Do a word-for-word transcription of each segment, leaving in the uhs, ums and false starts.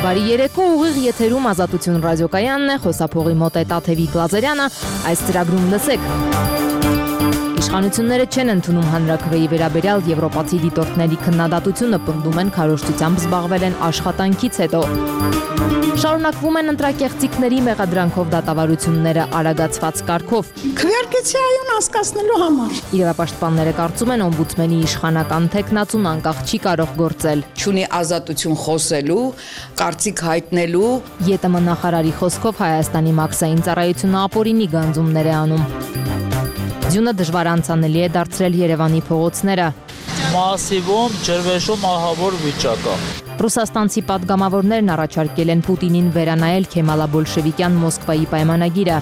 Բարի երեկո, ուղիղ եթերում Ազատություն ռադիոկայանն է, խոսափողի մոտ է Տաթևիկ Լազարյանը, այս ծրագրում լսեք։ Իշխանությունները չեն ընդունում հանրաքվեի վերաբերյալ եվրոպացի դիտորդների քննադատությունը, պնդում են քարոզչությամբ զբաղվել են աշխատանքից հետո։ Շարունակվում են ընտրակեղծիքների մեղադրանքով դատավարությունները արագացված կարգով։ Քվեարկեցիայուն հասկացնելու համար։ Իրավապաշտպանները կարծում են օմբուդսմենի իշխանական թեկնածուն անկախ չի կարող գործել։ Չունի ազատություն խոսելու, կարծիք հայտնելու։ ԵՏՄ նախարարի խոսքով Հայաստանի մաքսային ծառայությունը ապօրինի գանձումներ է անում։ Ձյունը դժվար անցանելի է դարձրել Երևանի փողոցները։ Մասիվում ջրվեժում ահավոր վիճակ է։ Ռուսաստանցի պատգամավորներն առաջարկել են Պուտինին վերանայել քեմալա-բոլշևիկյան Մոսկվայի պայմանագիրը։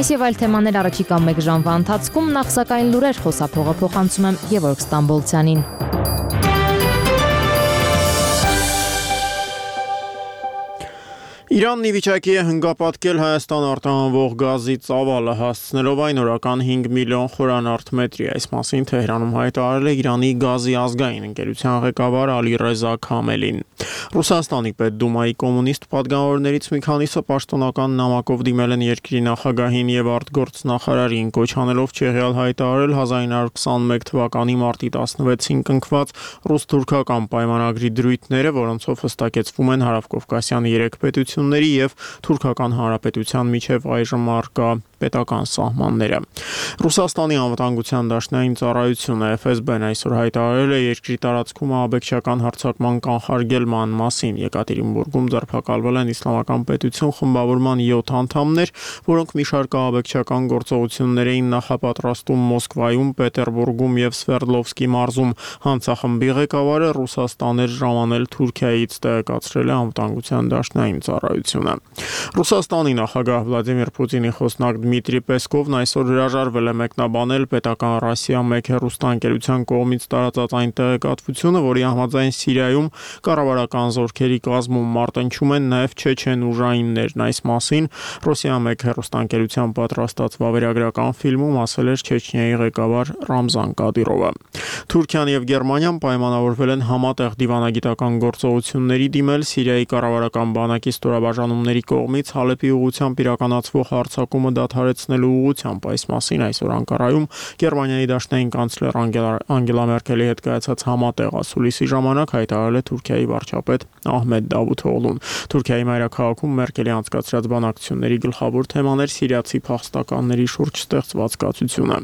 Այս եւ այլ թեմաներ առաջիկա մեկ ժամվա ընթացքում, նախ սակայն լուրեր, խոսափողը փոխանցում եմ Գևորգ Ստամբոլցյանին։ Իրանն ի վիճակի է հնգապատկել Հայաստան արտահանվող գազի ծավալը, հասցնելով այն օրական հինգ միլիոն խորանարդ մետրի։ Այս մասին Թեհրանում հայտարարել է Իրանի գազի ազգային ընկերության ղեկավար Ալի-Ռեզա Քամելին։ Ռուսաստանի Պետդումայի կոմունիստ պատգամավորներից մի քանիսը պաշտոնական նամակով դիմել են երկրի նախագահին եւ արտգործնախարարին, կոչ անելով չեղյալ հայտարարել հազար ինը հարյուր քսաներկու թվականի մարտի տասնվեցին կնքված ռուս-թուրքական պայմանագրի դրույթները, որոնցով հստակեցվում են Հարավկովկասյան երեք պետությունների եւ Թուրքական Հանրապետության միջև այժմ առկա պետական սահմանները։ Ռուսաստանի անվտանգության դաշնային ծառայությունը Էֆ Էս Բեն այսօր հայտարարել է երկրի տարածքում ահաբեկչական հարձակման կանխարգելման մասին։ Եկատերինբուրգում ձերբակալվել են Իսլամական պետություն խմբավորման յոթ անդամներ, որոնք մի շարք ահաբեկչական գործողություններ էին նախապատրաստում Մոսկվայում, Պետերբուրգում եւ Սվերդլովսկի մարզում։ Հանցախմբի ղեկավարը Ռուսաստան էր ժամանել Թուրքիայից, տեղեկացրել է անվտանգության դաշնային ծառայությունը։ Ռուսաստանի նախագահ Վլադիմիր Պուտինի խոսնակ Դմիտրի Պեսկովն այսօր հրաժարվել է մեկնաբանել պետական Ռասիա մեկ հեռուստաընկերության կողմից տարածած այն տեղեկատվությունը, որի համաձայն Սիրիայում կառավարական զորքերի կազմում մարտնչում են նաև չեչեն ուժայիններն։ Այս մասին Ռոսիա մեկ հեռուստաընկերության պատրաստած վավերագրական ֆիլմում ասել էր Չեչնիայի ղեկավար Ռամզան Կադիրովը։ Թուրքիան եւ Գերմանիան պայմանավորվել են համատեղ դիվանագիտական գործողությունների դիմել Սիրիայի կառավարական բանակի ստորաբաժանումների կողմից Հալեպի ուղղությամբ իրականացվող հարձակումը դադարեցնելու ուղղությամբ։ Այս մասին այսօր Անկարայում Գերմանիայի դաշնային կանցլեր Անգելա Մերկելի հետ կայացած համատեղ ասուլիսի ժամանակ հայտարարել է Թուրքիայի վարչապետ Ահմեդ Դավութօղլուն։ Թուրքիայի մայրաքաղաքում Մերկելի անցկացրած բանակցությունների գլխավոր թեման էր սիրիացի փախստականների շուրջ ստեղծված կացությունը։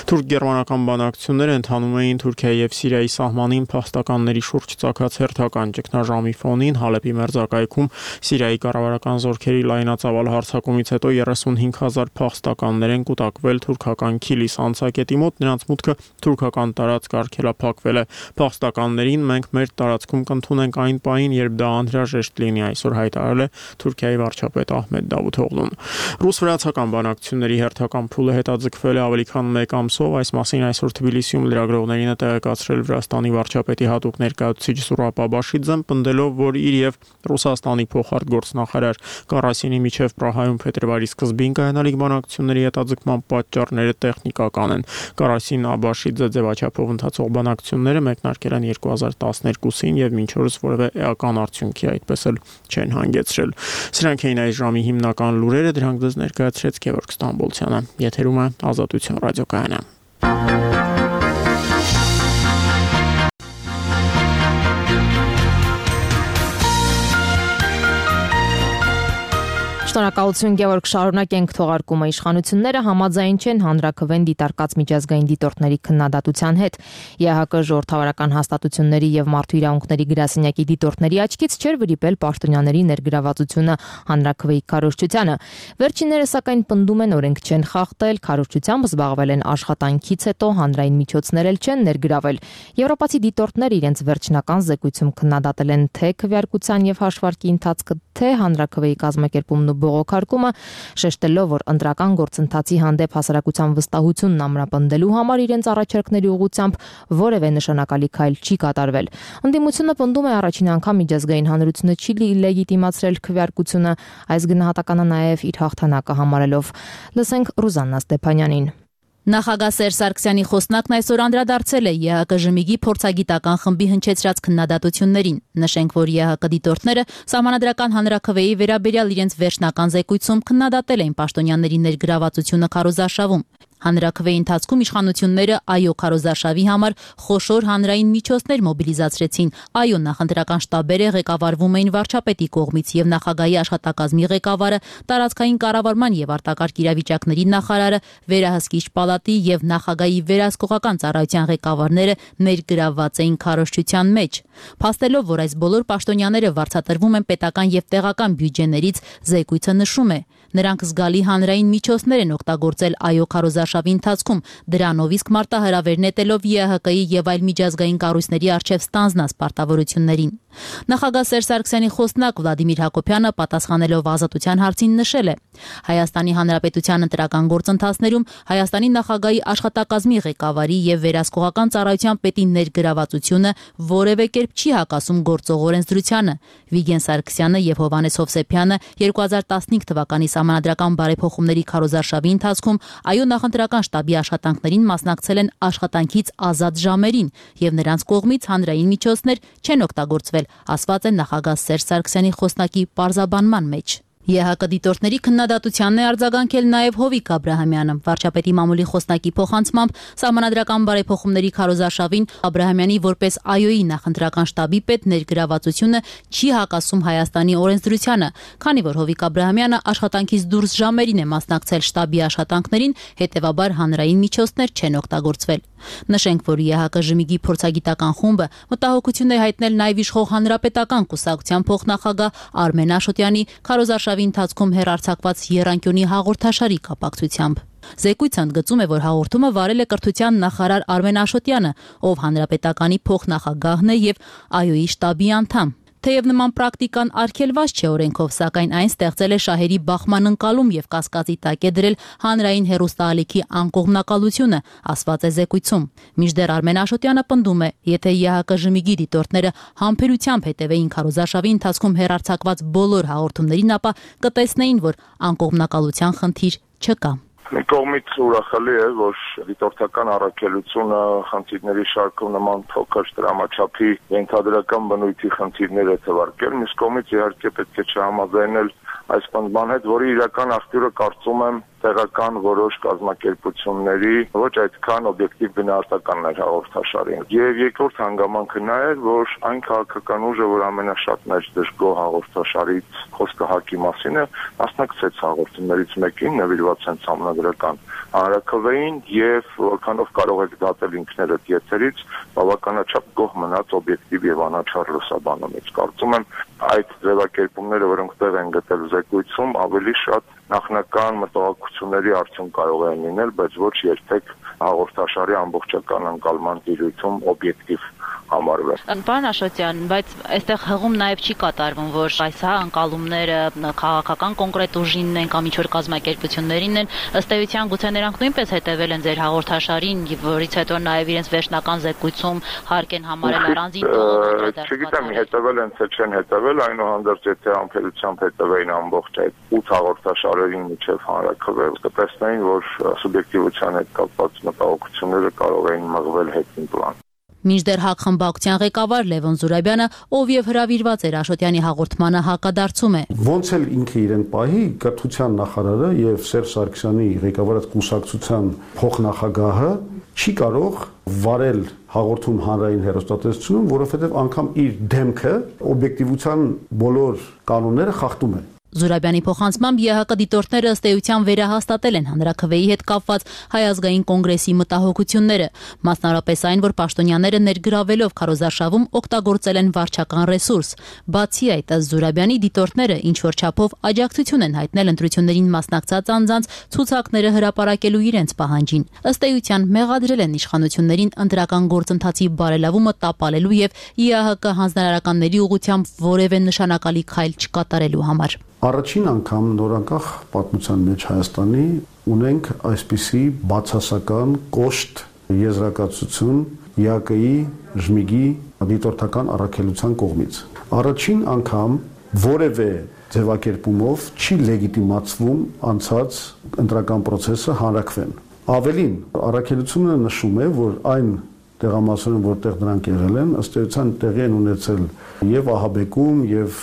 Թուրք-գերմանական բանակցությունները ընթանում էին Թուրքիայի եւ Սիրիայի սահմանին փախստականների շուրջ ցակած հերթական ճգնաժամի ֆոնին։ Հալեպի մերձակայքում Սիրիայի կառավարական զորքերի լայնածավալ հարձակումից հետո երեսունհինգ հազար փախստականներ են կուտակվել թուրքական Քիլիս անցակետի մոտ, նրանց մուտքը թուրքական տարածք արգելափակվել է։ Փախստականներին մենք մեր տարածքում կընդունենք այն պահին, երբ դա անհրաժեշտ լինի, այսօր հայտարարել է Թուրքիայի վարչապետ Ահմեդ Դավութօղլուն։ Ռուս-վրացական բանակցությունների հերթական փուլը հետաձգվել է ավելի քան մեկ ամսով։ Այս մասին այսօր Թբիլիսիում լրագրողներին է տեղեկացրել Վրաստանի վարչապետի հատուկ ներկայացուցիչ Զուրաբ Աբաշիձեն, պնդելով, որ իր եւ Ռուսաստանի փոխարտգործնախարար Կարասինի միջև Պրահայում փետրվարի սկզբին կայանալիք բանակցությունների հետաձգման պատճառները տեխնիկական են։ Կարասին Աբաշիձը ձևաչափով ընթացող բանակցությունները մեկնարկել են երկու հազար տասներկուսին եւ մինչ օրս որևէ էական արդյունքի այդպես էլ չեն հանգեցրել։ Սրանք էին այս ժամի հիմնական լուրերը, դրանք դες ներկայացրեց Գևորգ Ստամբոլցյանը։ Եթերում է Ազատություն ռադիոկայանը։ Շնորհակալություն Գևորգ, շարունակենք թողարկումը։ Իշխանությունները համաձայն չեն հանրաքվեն դիտարկած միջազգային դիտորդների քննադատության հետ։ ԵՀԿ ժողովրդավարական հաստատությունների եւ մարդու իրավունքների գրասենյակի դիտորդների աչքից չէր վրիպել պաշտոնյաների ներգրավվածությունը հանրաքվեի քարոզչությանը։ Վերջինները սակայն պնդում են օրենք չեն խախտել, քարոզչությամբ զբաղվել են աշխատանքից հետո, հանրային միջոցներ էլ չեն ներգրավել։ Եվրոպացի դիտորդները իրենց վերջնական զեկույցում քննադատել են թե քվեարկության եւ հաշվարկի ընթացքը, թե հանրաքվեի կազմակերպումն ու բողոքարկումը, շեշտելով, որ ընտրական գործընթացի հանդեպ հասարակության վստահությունն ամրապնդելու համար իրենց առաջարկների ուղղությամբ որևէ նշանակալի քայլ չի կատարվել։ Ընդդիմությունը պնդում է առաջին անգամ միջազգային հանրությունը չի լեգիտիմացրել քվեարկությունը, այս գնահատականը նաև իր հաղթանակը համարելով։ Լսենք Ռուզաննա Ստեփանյանին։ Նախագահ Սերժ Սարգսյանի խոսնակն այսօր անդրադարձել է ԵՀԿ ժմիգի փորձագիտական խմբի հնչեցրած քննադատություններին։ Նշենք, որ ԵՀԿ դիտորդները Սահմանադրական հանրաքվեի վերաբերյալ իրենց վերջնական զեկույցում քննադատել էին պաշտոնյաների ներգրավվածությունը քարոզարշավում։ Հանրաքվեի ընթացքում իշխանությունները այո քարոզարշավի համար խոշոր հանրային միջոցներ մոբիլիզացրեցին։ Այո նախընտրական շտաբերը ղեկավարվում էին վարչապետի կողմից եւ նախագահի աշխատակազմի ղեկավարը, տարածքային կառավարման եւ արտակարգ իրավիճակների նախարարը, վերահսկիչ պալատի եւ նախագահի վերահսկողական ծառայության ղեկավարները ներգրավված էին քարոզչության մեջ։ Փաստելով, որ այս բոլոր պաշտոնյաները վարձատրվում են պետական եւ տեղական բյուջեներից, զեկույցը նշում է. նրանք զգալի հանրային միջոցներ են օգտագործել այո քարոզարշավի ընթացքում, դրանով իսկ մարտահրավեր նետելով ԵՀԿ-ի եւ այլ միջազգային կառույցների առջեւ ստանձնած պարտավորություններին։ Նախագահ Սերժ Սարգսյանի խոսնակ Վլադիմիր Հակոբյանը պատասխանելով ազատության հարցին նշել է. Հայաստանի Հանրապետության ընտրական գործընթացներում Հայաստանի նախագահի աշխատակազմի ղեկավարի եւ վերահսկողական ծառայության պետի ներգրավվածությունը որևէ կերպ չի հակասում գործող օրենսդրությանը։ Վիգեն Սարգսյանը եւ Հովհաննես Հովսեփյանը երկու հազար տասնհինգ թվականի Սահմանադրական բարեփոխումների քարոզարշավի ընթացքում այո նախընտրական շտաբի աշխատանքներին մասնակցել են աշխատանքից ազատ ժամերին եւ նրանց կողմից հանրային միջոցներ չեն օգտագործվել, ասված է նախագահ Սերժ Սարգսյանի խոսնակի պարզաբանման մեջ։ ԵՀԿ դիտորդների քննադատությանն է արձագանքել նաև Հովիկ Աբրահամյանը։ Վարչապետի մամուլի խոսնակի փոխանցմամբ Սահմանադրական բարեփոխումների քարոզարշավին Աբրահամյանի որպես այոյի նախընտրական շտաբի պետ ներգրավվածությունը չի հակասում Հայաստանի օրենսդրությանը, քանի որ Հովիկ Աբրահամյանը աշխատանքից դուրս ժամերին է մասնակցել շտաբի աշխատանքներին, հետևաբար հանրային միջոցներ չեն օգտագործվել։ Նշենք, որ ԵՀԿ ժմիգի փորձագիտական խումբը մտահոգություն է հայտնել նաև իշխող հանրապետական կուսակցության փոխնախագահ Արմեն Աշոտյանի քարոզարշավի ընթացքում հեռարձակված եռանկյունի հաղորդաշարի կապակցությամբ։ Զեկույցը ընդգծում է, որ հաղորդումը վարել է կրթության նախարար Արմեն Աշոտյանը, ով հանրապետականի փոխնախագահն է եւ այոյի շտաբի անդամ։ Թեև նման պրակտիկան արգելված չէ օրենքով, սակայն այն ստեղծել է շահերի բախման ընկալում եւ կասկածի տակ է դրել հանրային հեռուստաալիքի անկողմնակալությունը, ասված է զեկույցում։ Մինչդեռ Արմեն Աշոտյանը պնդում է, եթե ԵՀԿ ժմիգի դիտորդները համբերությամբ հետևեին քարոզարշավի ընթացքում հեռարձակված բոլոր հաղորդումներին, ապա կտեսնեին, որ անկողմնակալության խնդիր չկա։ Մի կողմից ուրախալի է, որ դիտորդական առաքելությունը խնդիրների շարքում նման փոքր դրամաչափի ենթադրական բնույթի խնդիրներ է թվարկել, մյուս կողմից իհարկե պետք է չհամաձայնել այս պնդման հետ, որի իրական աղբյուրը կարծում եմ տեղական որոշ կազմակերպությունների ոչ այդքան օբյեկտիվ գնահատականն էր հաղորդաշարին։ Եվ երկրորդ հանգամանքը նա էր, որ այն քաղաքական ուժը, որ ամենաշատն էր դժգոհ հաղորդաշարից խոսքը ՀԱԿ-ի մասին է, մասնակցեց հաղորդումներից մեկին, նվիրված են Սահմանադրական հանրաքվեին եւ որքանով կարող եք դատել ինքներդ եթերից, բավականաչափ գոհ մնաց օբյեկտիվ եւ անաչառ լուսաբանումից։ Կարծում եմ այդ ձևակերպումները, որոնք տեղ են գտել զեկույցում, ավելի շատ նախնական մտահոգությունների արդյունք կարող են լինել, բայց ոչ երբեք հաղորդաշարի ամբողջական ընկալման տիրույթում օբյեկտիվ համարվել։ Պարոն Աշոտյան, բայց այստեղ հղում նաև չի կատարվում, որ այս հա ընկալումները քաղաքական կոնկրետ ուժինն են կամ ինչ-որ կազմակերպություններին են, ըստ էության գուցե նրանք նույնպես հետևել են ձեր հաղորդաշարին, որից հետո նաև իրենց վերջնական զեկույցում հարկ են համարել առանձին տող։ Չգիտեմ, հետևել են թե չեն հետևել, այնուհանդերձ եթե ամբերությամբ հետևեին ամբողջ այդ ութ հաղորդաշարերին միջև հանրաքվե, կտեսնեին, որ սուբյեկտիվության հետ կապված մտահոգությունները կարող էին մղվել հետին պլան։ Մինչդեռ ՀԱԿ խմբակցության ղեկավար Լևոն Զուրաբյանը, ով եւ հրավիրված էր Աշոտյանի հաղորդմանը, հակադարձում է. Ոնց էլ ինքը իրեն պահի, կրթության նախարարը եւ Սերժ Սարգսյանի ղեկավարած կուսակցության փոխնախագահը չի կարող վարել հաղորդում հանրային հեռուստատեսությունում, որովհետեւ անգամ իր դեմքը օբյեկտիվության բոլոր կանոնները խախտում է։ Զուրաբյանի փոխանցմամբ ԵՀԿ դիտորդները ըստ էության վերահաստատել են հանրաքվեի հետ կապված Հայ ազգային կոնգրեսի մտահոգությունները, մասնավորապես այն, որ պաշտոնյաները ներգրավելով քարոզարշավում օգտագործել են վարչական ռեսուրս։ Բացի այդ, ըստ Զուրաբյանի, դիտորդները ինչ որ չափով աջակցություն են հայտնել ընտրություններին մասնակցած անձանց ցուցակները հրապարակելու իրենց պահանջին։ Ըստ էության մեղադրել են իշխանություններին ընտրական գործընթացի բարելավումը տապալելու եւ ԵՀԿ հանձնարարականների ուղղությամբ որևէ նշանակալի քայլ չկատարելու համար։ Առաջին անգամ նորանկախ պատմության մեջ Հայաստանի ունենք այսպիսի բացասական կոշտ եզրակացություն ԵԱԿ-ի ժմիգի դիտորդական առաքելության կողմից։ Առաջին անգամ որևէ ձևակերպումով չի լեգիտիմացվում անցած ընտրական process-ը հանրաքվեն։ Ավելին, առաքելությունը նշում է, որ այն տեղամասերում, որտեղ դրանք եղել են, ըստ էության տեղի են ունեցել եւ ահաբեկում եւ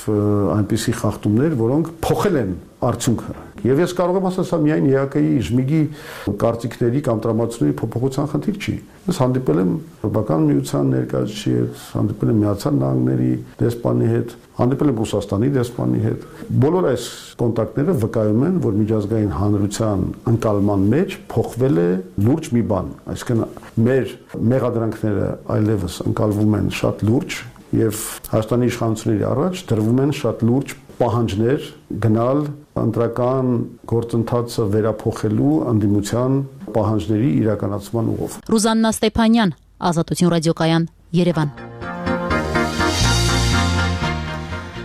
այնպիսի խախտումներ, որոնք փոխել են արդյունքը։ Եվ ես կարող եմ ասել, սա միայն ԵԱԿ-ի իժմիգի կարծիքների կամ տրամադրությունների փոփոխության խնդիր չի։ Ես հանդիպել եմ Եվրոպական միության ներկայացուցիչի հետ, հանդիպել եմ Միացյալ Նահանգների դեսպանի հետ, հանդիպել եմ Ռուսաստանի դեսպանի հետ։ Բոլոր այս կոնտակտները վկայում են, որ միջազգային հանրության ընկալման մեջ փոխվել է լուրջ մի բան, այսինքն մեր մեղադրանքները այլևս ընկալվում են շատ լուրջ եւ Հայաստանի իշխանությունների առաջ դրվում են շատ լուրջ պահանջներ գնալ ընտրական գործընթացը վերափոխելու ընդդիմության պահանջների իրականացման ուղղով։ Ռուզաննա Ստեփանյան, Ազատություն ռադիոկայան, Երևան։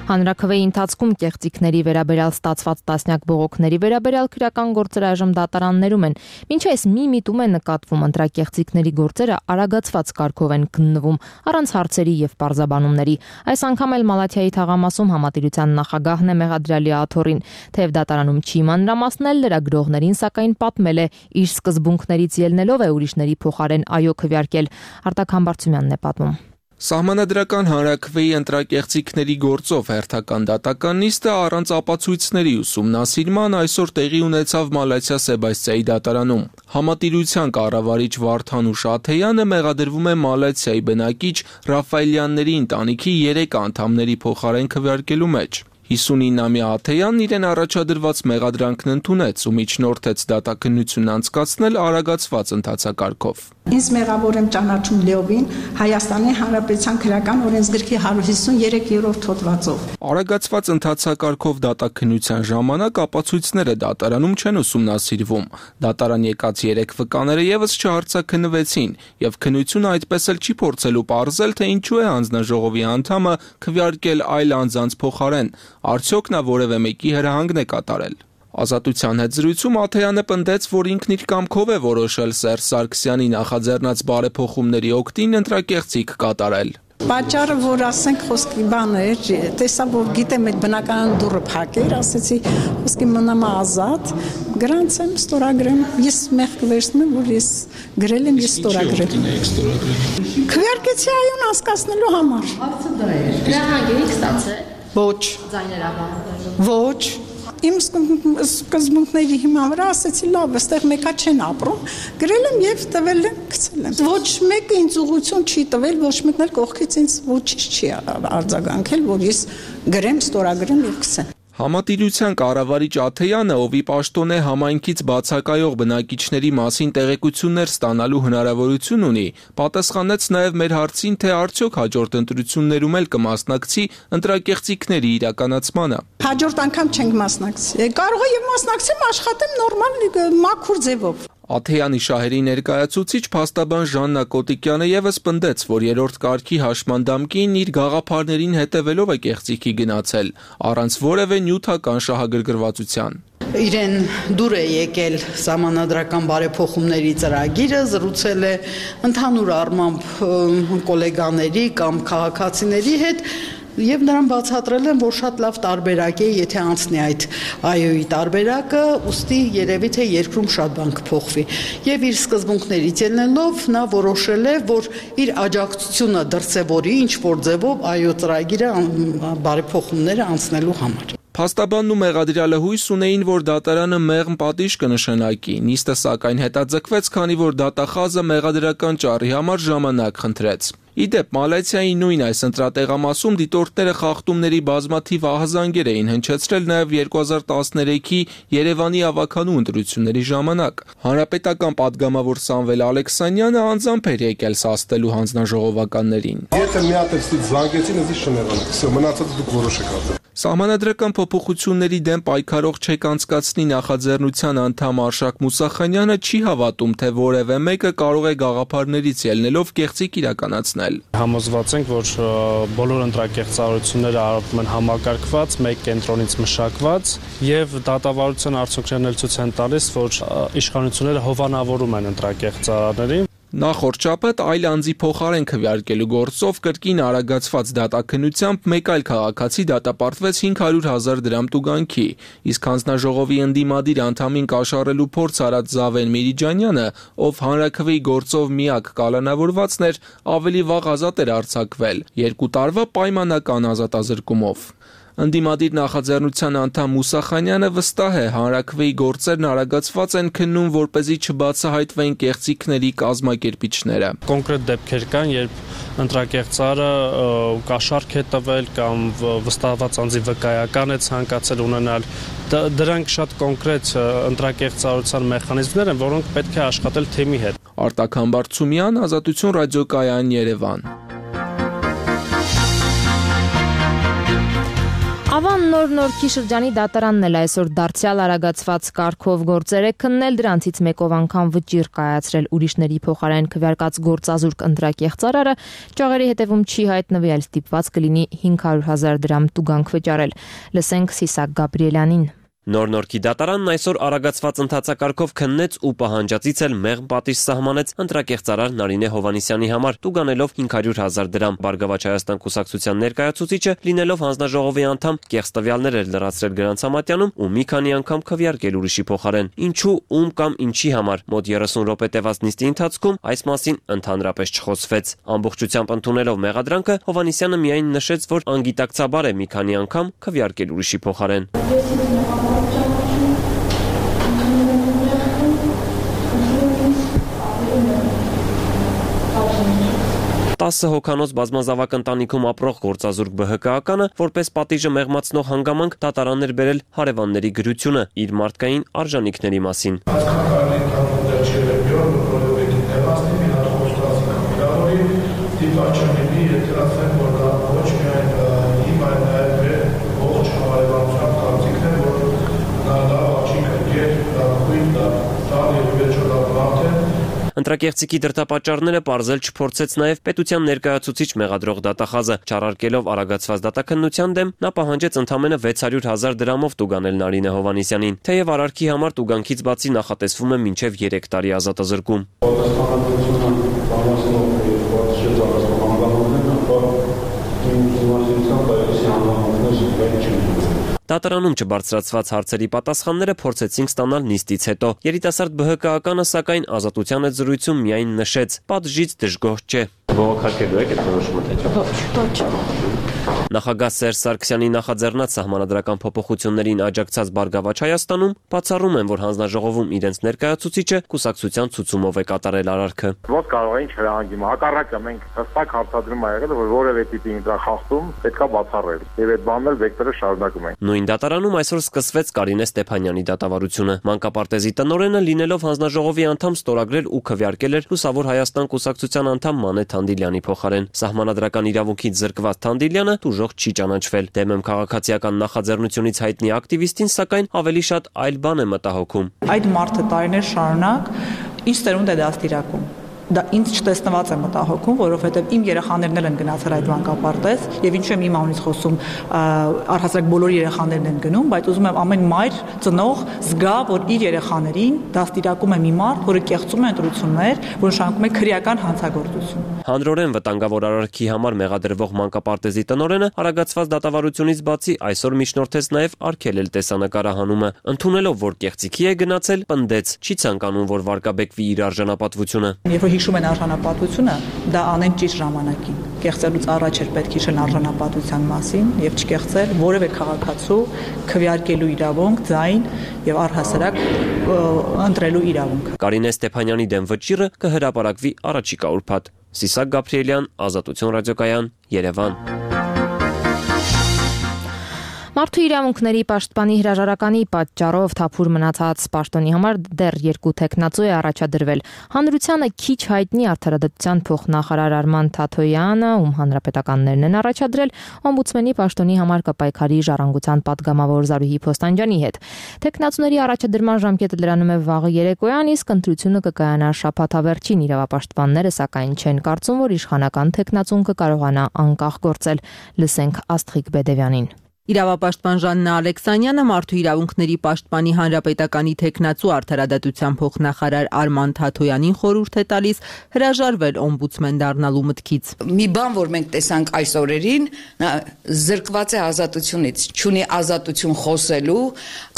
Հանրաքվեի ընթացքում կեղծիքների վերաբերյալ ստացված տասնյակ բողոքների վերաբերյալ քրեական գործեր այժմ դատարաններում են։ Մինչ այս մի միտում է նկատվում ընտրակեղծիքների գործերը արագացված կարգով են քննվում, առանց հարցերի եւ պարզաբանումների։ Այս անգամ էլ Մալաթիայի թաղամասում համատիրության նախագահն է մեղադրյալի աթոռին, թեև դատարանում չի մանրամասնել լրագրողներին, սակայն պատմել է իր սկզբունքներից ելնելով է ուրիշների փոխարեն այո քվեարկել։ Արտակ Համբարձումյանն է պատմում։ Սահմանադրական հանրաքվեի ընտրակեղծիքների գործով հերթական դատական նիստը առանց ապացույցների ուսումնասիրման այսօր տեղի ունեցավ Մալաթիա Սեբաստիայի դատարանում։ Համատիրության կառավարիչ Վարդանուշ Աթեյանը մեղադրվում է Մալաթիայի բնակիչ Ռաֆայելյանների ընտանիքի երեք անդամների փոխարեն քվեարկելու մեջ։ հիսունինամյա Աթեյանն իրեն առաջադրված մեղադրանքն ընդունեց ու միջնորդեց դատաքննությունն անցկացնել արագացված ընթացակարգով։ Ինձ մեղավոր եմ ճանաչում լիովին Հայաստանի Հանրապետության քրեական օրենսգրքի հարյուր հիսուն երեք հոդվածով։ Արագացված ընթացակարգով դատաքննության ժամանակ ապացույցները դատարանում չեն ուսումնասիրվում։ Դատարան եկած երեք վկաները եւս չհարցաքննվեցին, եւ քննությունը այդպես էլ չի փորձելու պարզել, թե ինչու է հանձնաժողովի անդամը քվեարկել այլ անձանց փոխարեն։ Արդյոք նա որևէ մեկի հրահանգն է կատարել։ Ազատության հետ զրույցում Աթեյանը պնդեց, որ ինքն իր կամքով է որոշել Սերժ Սարգսյանի նախաձեռնած բարեփոխումների օգտին ընտրակեղծիք կատարել։ Պատճառը, որ ասենք խոսքի բանը էր, տեսա, որ գիտեմ այդ բնական դուռը փակեր, ասեցի խոսքի մնամ ազատ, գրանցեմ, ստորագրեմ, ես մեղք վերցնում եմ, որ ես գրել եմ, ես ստորագրել։ Քվեարկեցի այուն անցկացնելու համար։ Հարցը դա է։ Հրահանգ ստացել։ Ոչ։ Ձայներաբանելու։ Ոչ։ Իմ սկզբունքների հիման վրա ասեցի լավ, այստեղ մեկա չեն ապրում, գրել եմ եւ տվել եմ, գցել եմ։ Ոչ մեկը ինձ ուղղություն չի տվել, ոչ մեկն էլ կողքից ինձ ոչինչ չի արձագանքել, որ ես գրեմ, ստորագրեմ եւ գցեմ։ Համատիրության կառավարիչ Աթեյանը, ով ի պաշտոն է համայնքից բացակայող բնակիչների մասին տեղեկություններ ստանալու հնարավորություն ունի, պատասխանեց նաև մեր հարցին, թե արդյոք հաջորդ ընտրություններում էլ կմասնակցի ընտրակեղծիքների իրականացմանը։ Հաջորդ անգամ չենք մասնակցի։ Կարող է եւ մասնակցեմ, աշխատեմ նորմալ մաքուր ձևով։ Աթեյանի շահերի ներկայացուցիչ փաստաբան Ժաննա Կոտիկյանը եւս պնդեց, որ երրորդ կարգի հաշմանդամքին իր գաղափարներին հետևելով է կեղծիքի գնացել, առանց որևէ նյութական շահագրգռվածության։ Իրեն դուր է եկել սահմանադրական բարեփոխումների ծրագիրը, զրուցել է ընդհանուր առմամբ գոլեգաների կամ քաղաքացիների հետ եւ նրան բացատրել են, որ շատ լավ տարբերակ է, եթե անցնի այդ այոյի տարբերակը, ուստի երևի թե երկրում շատ բան կփոխվի։ Եվ իր սկզբունքներից ելնելով նա որոշել է, որ իր աջակցությունը դրսևորի ինչ որ ձևով այո ծրագիրը բարեփոխումները անցնելու համար։ Փաստաբանն ու մեղադրյալը հույս ունեին, որ դատարանը մեղմ պատիժ կնշանակի, նիստը սակայն հետաձգվեց, քանի որ դատախազը մեղադրական ճառի համար ժամանակ խնդրեց։ Իդեպ Մալաթիայի նույն այս ընտրատեղամասում դիտորդները խախտումների բազմաթիվ ահազանգեր էին հնչեցրել նաև երկու հազար տասներեքի Երևանի ավականու ընտրությունների ժամանակ։ Հանրապետական պատգամավոր Սամվել Ալեքսանյանը անձամբ էր եկել սաստելու հանձնաժողովականներին։ Եթե մի հատ էստի զանգեցին, էսի շնեղանակ, всё, մնացածը դուք որոշեք արդեն։ Սահմանադրական փոփոխությունների դեմ պայքարող չեք անցկացնի նախաձեռնության անդամ Արշակ Մուսախանյանը չի հավատում, թե որևէ մեկը կարող է գաղափարներից ելնելով կեղծիք իրականացնել։ Համոզված ենք, որ բոլոր ընտրակեղծարարությունները արվում են համակարգված, մեկ կենտրոնից մշակված եւ դատավարության արդյունքներն էլ ցույց են տալիս, որ իշխանությունները հովանավորում են ընտրակեղծարարներին։ Նախորդ շաբաթ այլ անձի փոխարեն քվեարկելու գործով կրկին արագացված դատաքննությամբ մեկ այլ քաղաքացի դատապարտվեց հինգ հարյուր հազար դրամ տուգանքի, իսկ հանձնաժողովի ընդդիմադիր անդամին կաշառելու փորձ արած Զավեն Միրիջանյանը, ով հանրաքվեի գործով միակ կալանավորվածն էր, ավելի վաղ ազատ էր արձակվել երկու տարվա պայմանական ազատազրկումով։ Ընդդիմադիր նախաձեռնության անդամ Մուսա Խանյանը վստահ է, հանրաքվեի գործերն արագացված են քննում, որպեսզի չբացահայտվեն կեղծիքների կազմակերպիչները։ Կոնկրետ դեպքեր կան, երբ ընտրակեղծարը կաշառք է տվել կամ վստահված անձի վկայական է ցանկացել ունենալ, դրանք շատ կոնկրետ ընտրակեղծարության մեխանիզմներ են, որոնք պետք է աշխատել թեմի հետ։ Արտակ Համբարձումյան, Ազատություն ռադիոկայան, Երևան։ Ավան նոր Նորքի շրջանի դատարանն էլ այսօր դարձյալ արագացված կարգով գործեր է քննել, դրանցից մեկով անգամ վճիռ կայացրել ուրիշների փոխարեն քվեարկած գործազուրկ ընտրակեղծարարը, ճաղերի հետևում չի հայտնվել, ստիպված կլինի հինգ հարյուր հազար դրամ տուգանք վճարել։ Լսենք Սիսակ Գաբրիելյանին։ Նոր Նորքի դատարանն այսօր արագացված ընթացակարգով քննեց ու պահանջածից էլ մեղմ պատիժ սահմանեց ընտրակեղծարար Նարինե Հովհաննիսյանի համար, տուգանելով հինգ հարյուր հազար դրամ։ Բարգավաճ Հայաստան կուսակցության ներկայացուցիչը, լինելով հանձնաժողովի անդամ, կեղծ տվյալներ էր լրացրել գրանցամատյանում ու մի քանի անգամ քվեարկել ուրիշի փոխարեն։ Ինչու, ում կամ ինչի համար մոտ երեսուն րոպե տևած նիստի ընթացքում այս մասին ընդհանրապես չխոսվեց։ Ամբողջությամբ ընդունելով մեղադրանքը, Հովհաննիսյանը միայն նշեց, որ անգիտակցաբար է մի քանի անգամ քվեարկել ուրիշի փոխարեն։ տասը հոգանոց բազմազավակ ընտանիքում ապրող գործազուրկ ԲՀԿ-ականը, որպես պատիժը մեղմացնող հանգամանք, դատարան էր բերել հարևանների գրությունը իր մարդկային արժանինքների մասին։ Ընտրակեղծիքի դրդապատճառները պարզել չփորձեց նաև պետության ներկայացուցիչ մեղադրող դատախազը, չարարկելով արագացված դատաքննության դեմ, նա պահանջեց ընդամենը վեց հարյուր հազար դրամով տուգանել Նարինե Հովհաննիսյանին, թեև արարքի համար տուգանքից բացի նախատեսվում է մինչև երեք տարի ազատազրկում։ Դատարանում չբարձրացված հարցերի պատասխանները փորձեցինք ստանալ նիստից հետո։ Երիտասարդ ԲՀԿ-ականը սակայն Ազատության հետ զրույցում միայն նշեց. «Պատժից դժգոհ չէ»։ Բողոքարկելու եք այդ որոշումը, թե՞ Նախագահ Սերժ Սարգսյանի նախաձեռնած սահմանադրական փոփոխություններին աջակցած Բարգավաճ Հայաստանում բացառում են, որ հանձնաժողովում իրենց ներկայացուցիչը կուսակցության ցուցումով է կատարել արարքը։ Ոնց կարող էին չհրահանգի, հակառակը մենք հստակ հարցադրում ա եղել, որ որևէ տիպի ինտրախախտում պետքա բացառել։ Եվ այդ բանն էլ վեկտորը շարունակում ենք։ Նույն դատարանում այսօր սկսվեց Կարինե Ստեփանյանի դատավարությունը։ Մանկապարտեզի տնօրենը, լինելով հանձնաժողովի անդամ, ստորագրել ու քվեարկել էր Լուսավոր Հայաստան կուսակցության անդամ Մանե Թանդիլյանի փոխարեն։ Սահմանադրական իրավունքից զրկված Թանդիլյանը ուժող չի ճանաչվել։ Դեմեմ քաղաքացիական նախաձեռնությունից հայտնի ակտիվիստին սակայն ավելի շատ այլ բան է մտահոգում։ Այդ մարդը տարիներ շարունակ ինչ ծերունդ է դաստիարակում։ Դա ինձ չտեսնված է մտահոգում, որովհետև իմ երեխաներն էլ են գնացել այդ մանկապարտեզ, եւ ինչու եմ իմ անունից խոսում, առհասարակ բոլոր երեխաներն են գնում, բայց ուզում եմ ամեն մայր ծնող զգա, որ իր երեխաներին դաստիարակում է մի մարդ, որը կեղծում է ընտրություններ, որ նշանակում է քրեական հանցագործություն։ Հանրորեն վտանգավոր արարքի համար մեղադրվող մանկապարտեզի տնօրենը արագացված դատավարությունից բացի այսօր միջնորդեց նաև արգելել տեսանկարահանումը, ընդունելով, որ կեղծիքի է գնացել, պնդեց, չի ցանկանում, որ վարկաբեկվի իր արժանապատվությունը։ Հիշում են արժանապատվությունը, դա անեն ճիշտ ժամանակին։ Կեղծելուց առաջ էր պետք հիշել արժանապատվության մասին եւ չկեղծել որևէ քաղաքացու քվեարկելու իրավունք, ձայն եւ առհասարակ ընտրելու իրավունք։ Կարինե Ստեփանյանի դեմ վճիռը կհրապարակվի առաջիկա ուրբաթ։ Սիսակ Գաբրիելյան, Ազատություն ռադիոկայան, Երևան։ Մարդու իրավունքների պաշտպանի հրաժարականի պատճառով թափուր մնացած պաշտոնի համար դեռ երկու տեխնացու է առաջադրվել։ Հանրությանը քիչ հայտնի արդարադատության փոխնախարար Արման Թաթոյանը, ում հանրապետականներն են առաջադրել, օմբուդսմենի պաշտոնի համար կպայքարի ժառանգության պատգամավոր Զարուհի Փոստանջյանի հետ։ Տեխնացուների առաջադրման ժամկետը լրանում է վաղը երեկոյան, իսկ ընտրությունը կկայանա շաբաթավերջին։ Իրավապաշտպանները սակայն չեն կարծում, որ իշխանական տեխնացուն կկարողանա անկախ գործել։ Լսենք Աստղիկ Բեդևյանին։ Իրավապաշտպան Ժաննա Ալեքսանյանը մարդու իրավունքների պաշտպանի հանրապետականի թեկնածու արդարադատության փոխնախարար Արման Թաթոյանին խորհուրդ է տալիս հրաժարվել օմբուդսմեն դառնալու մտքից։ Մի բան, որ մենք տեսանք այս օրերին, նա զրկված է ազատությունից, չունի ազատություն խոսելու,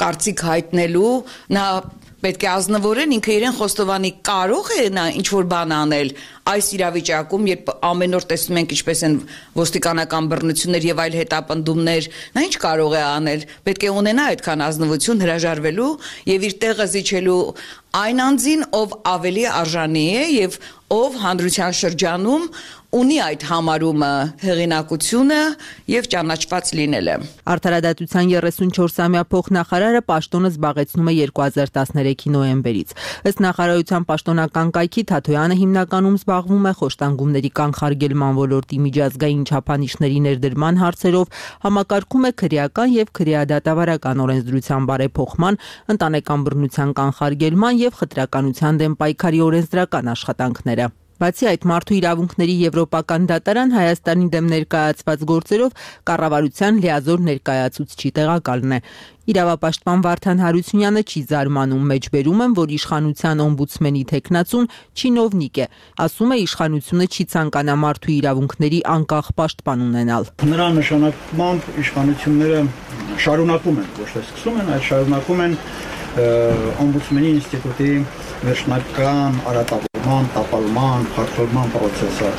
կարծիք հայտնելու, նա պետք է ազնվորեն ինքը իրեն խոստովանի, կարող է նա ինչ-որ բան անել այս իրավիճակում, երբ ամեն օր տեսնում ենք ինչպես են ոստիկանական բռնություններ եւ այլ հետապնդումներ, նա ինչ կարող է անել, պետք է ունենա այդքան ազնվություն հրաժարվելու եւ իր տեղը զիջելու այն անձին, ով ավելի արժանի է եւ ով հանրության շրջանում ունի այդ համարումը, հեղինակությունը եւ ճանաչված լինելը։ Արդարադատության երեսունչորսամյա փոխնախարարը պաշտոնը զբաղեցնում է երկու հազար տասներեքի նոյեմբերից։ Ըստ նախարարության պաշտոնական կայքի Թաթոյանը հիմնականում զբաղվում է խոշտանգումների կանխարգելման ոլորտի միջազգային չափանիշների ներդրման հարցերով, համակարգում է քրեական եւ քրեադատավարական օրենսդրության բարեփոխման, ընտանեկան բռնության կանխարգելման եւ խտրականության դեմ պայքարի օրենսդրական աշխատանքները։ Բացի այդ, մարդու իրավունքների եվրոպական դատարան Հայաստանի դեմ ներկայացված գործերով կառավարության լիազոր ներկայացուցչի տեղակալն է։ Իրավապաշտպան Վարդան Հարությունյանը չի զարմանում, մեջբերում են, որ իշխանության օմբուդսմենի թեկնածուն չինովնիկ է, ասում է իշխանությունը չի ցանկանա մարդու իրավունքների անկախ պաշտպան ունենալ։ Նրա նշանակմամբ իշխանությունները շարունակում են, ոչ թե սկսում են, այլ շարունակում են օմբուդսմենի ինստիտուտի վերջնական արատավորման, տապալման, խախտման process-ը։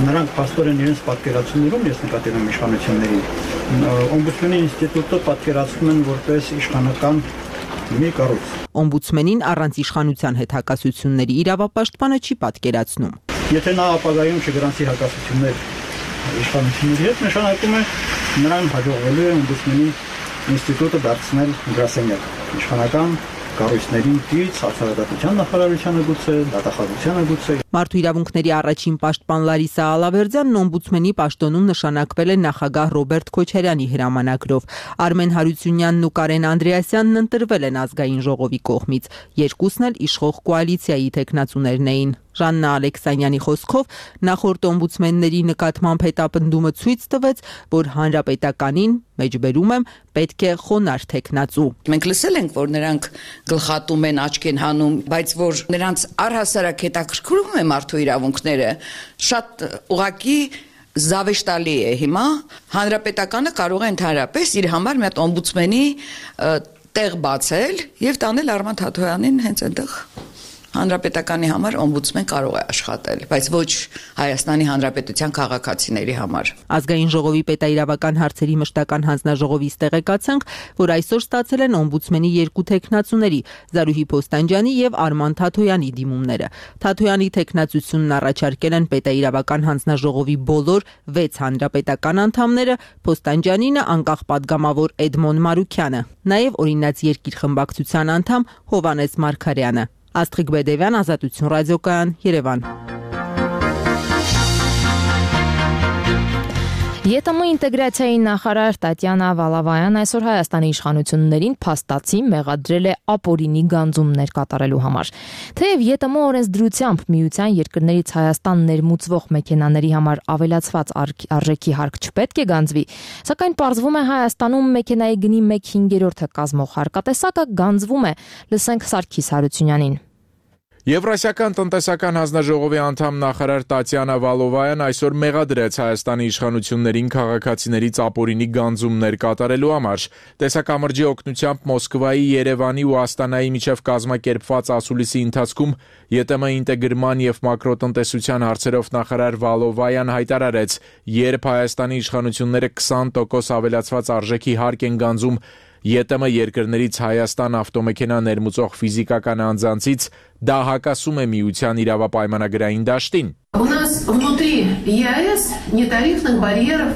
Նրանք փաստորեն իրենց պատկերացումներում, ես նկատել եմ իշխանությունների, օմբուդսմենի ինստիտուտը պատկերացնում են որպես իշխանական մի կառույց։ Օմբուդսմենին առանց իշխանության հետ հակասությունների իրավապաշտպանը չի պատկերացնում։ Եթե նա ապագայում չգրանցի հակասություններ իշխանությունների հետ, նշանակում է նրան հաջողվելու է օմբուդսմենի ինստիտուտը դարձնել գրասենյակ իշխանական կառույցներին դից արդարադատության նախարարությանը գուցե, դատախազությանը գուցե։ Մարդու իրավունքների առաջին պաշտպան Լարիսա Ալավերդյանն օմբուդսմենի պաշտոնում նշանակվել է նախագահ Ռոբերտ Քոչարյանի հրամանագրով։ Արմեն Հարությունյանն ու Կարեն Անդրեասյանն ընտրվել են ազգային ժողովի կողմից։ Երկուսն էլ իշխող կոալիցիայի թեկնածուներն էին։ Ժաննա Ալեքսանյանի խոսքով նախորդ օմբուդսմենների նկատմամբ հետապնդումը ցույց տվեց, որ հանրապետականին, մեջբերում եմ, պետք է խոնարհ թեկնածու։ Մենք լսել ենք, որ նրանք գլխատում են, աչք են հանում, բայց որ նրանց առհասարակ հետաքրքրում է մարդու իրավունքները, շատ ուղղակի զավեշտալի է հիմա։ Հանրապետականը կարող է ընդհանրապես իր համար մի հատ օմբուդսմենի տեղ բացել եւ տանել Արման Թաթոյանին հենց այնտեղ։ Հանրապետականի համար օմբուդսմեն կարող է աշխատել, բայց ոչ Հայաստանի Հանրապետության քաղաքացիների համար։ Ազգային ժողովի պետաիրավական հարցերի մշտական հանձնաժողովից տեղեկացանք, որ այսօր ստացել են օմբուդսմենի երկու թեկնածուների՝ Զարուհի Փոստանջյանի եւ Արման Թաթոյանի դիմումները։ Թաթոյանի թեկնածությունն առաջարկել են պետաիրավական հանձնաժողովի բոլոր վեց հանրապետական անդամները, Փոստանջյանինը անկախ падգամավոր Էդմոն Մարուքյանը, նաեւ օրինաց երկիր խմբակցության անդամ Հովանես Մարգարյանը։ Աստղիկ Բեդևյան, Ազատություն ռադիոկայան, Երևան։ ԵՏՄ ինտեգրացիայի նախարար Տատյանա Վալավայան այսօր Հայաստանի իշխանություններին փաստացի մեղադրել է ապօրինի գանձումներ կատարելու համար։ Թեև ԵՏՄ օրենսդրությամբ միության երկրներից Հայաստան ներմուծվող մեքենաների համար ավելացված արժեքի հարկ չպետք է գանձվի, սակայն պարզվում է Հայաստանում մեքենայի գնի մեկ հինգերորդը կազմող հարկատեսակը գանձվում է։ Լսենք Սարգիս Հարությունյանին։ Եվրասիական տնտեսական հանձնաժողովի անդամ նախարար Տատյանա Վալովայան այսօր մեղադրեց Հայաստանի իշխանություններին քաղաքացիներից ապօրինի գանձումներ կատարելու համար։ Տեսակամրջի օգնությամբ Մոսկվայի, Երևանի ու Աստանայի միջև կազմակերպված ասուլիսի ընթացքում ԵՏՄ ինտեգրման եւ մակրոտնտեսության հարցերով նախարար Վալովայան հայտարարեց, երբ Հայաստանի իշխանությունները քսան տոկոս ավելացված արժեքի հարկ են գանձում ԵՏՄ երկրներից Հայաստան ավտոմեքենա ներմուծող ֆիզիկական անձանցից, դա հակասում է միության իրավապայմանագրային դաշտին։ У нас внутри ЕАЭС нетарифных барьеров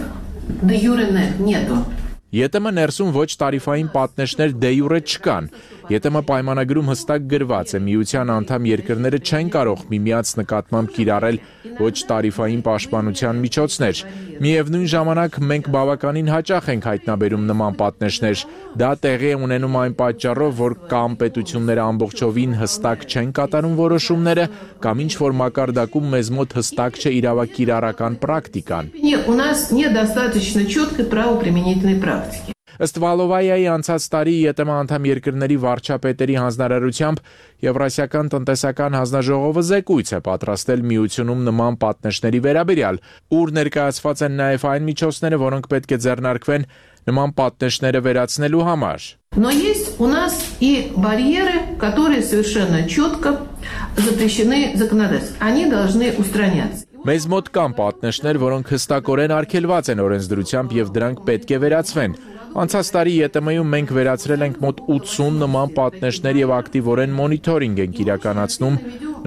де юре нету. ԵՏՄ ներսում ոչ տարիֆային պատնեշներ դե յուրե չկան։ ԵՏՄ պայմանագրում հստակ գրված է, միության անդամ երկրները չեն կարող միմյանց նկատմամբ կիրառել ոչ տարիֆային պաշտպանության միջոցներ։ Միևնույն ժամանակ մենք բավականին հաճախ ենք հայտնաբերում նման պատնեշներ։ Դա տեղի է ունենում այն պատճառով, որ կամ պետությունները ամբողջովին հստակ չեն կատարում որոշումները, կամ ինչ որ մակարդակում մեզ մոտ հստակ չէ իրավակիրառական պրակտիկան։ У нас недостаточно четкой правоприменительной практики. Ըստ Վալովայայի անցած տարի ԵՏՄ անդամ երկրների վարչապետերի հանձնարարությամբ Եվրասիական տնտեսական հանձնաժողովը զեկույց է պատրաստել միությունում նման պատնեշների վերաբերյալ, ուր ներկայացված են նաև այն միջոցները, որոնք պետք է ձեռնարկվեն նման պատնեշները վերացնելու համար։ Но есть у нас и барьеры, которые совершенно четко запрещены законодательством. Они должны устраняться. Մեզ մոտ կան պատնեշներ, որոնք հստակորեն արգելված են օրենսդրությամբ եւ դրանք պետք է վերացվեն։ Անցած տարի ԵՏՄ-ում մենք վերացրել ենք մոտ ութսուն նման պատնեշներ եւ ակտիվորեն մոնիթորինգ ենք իրականացնում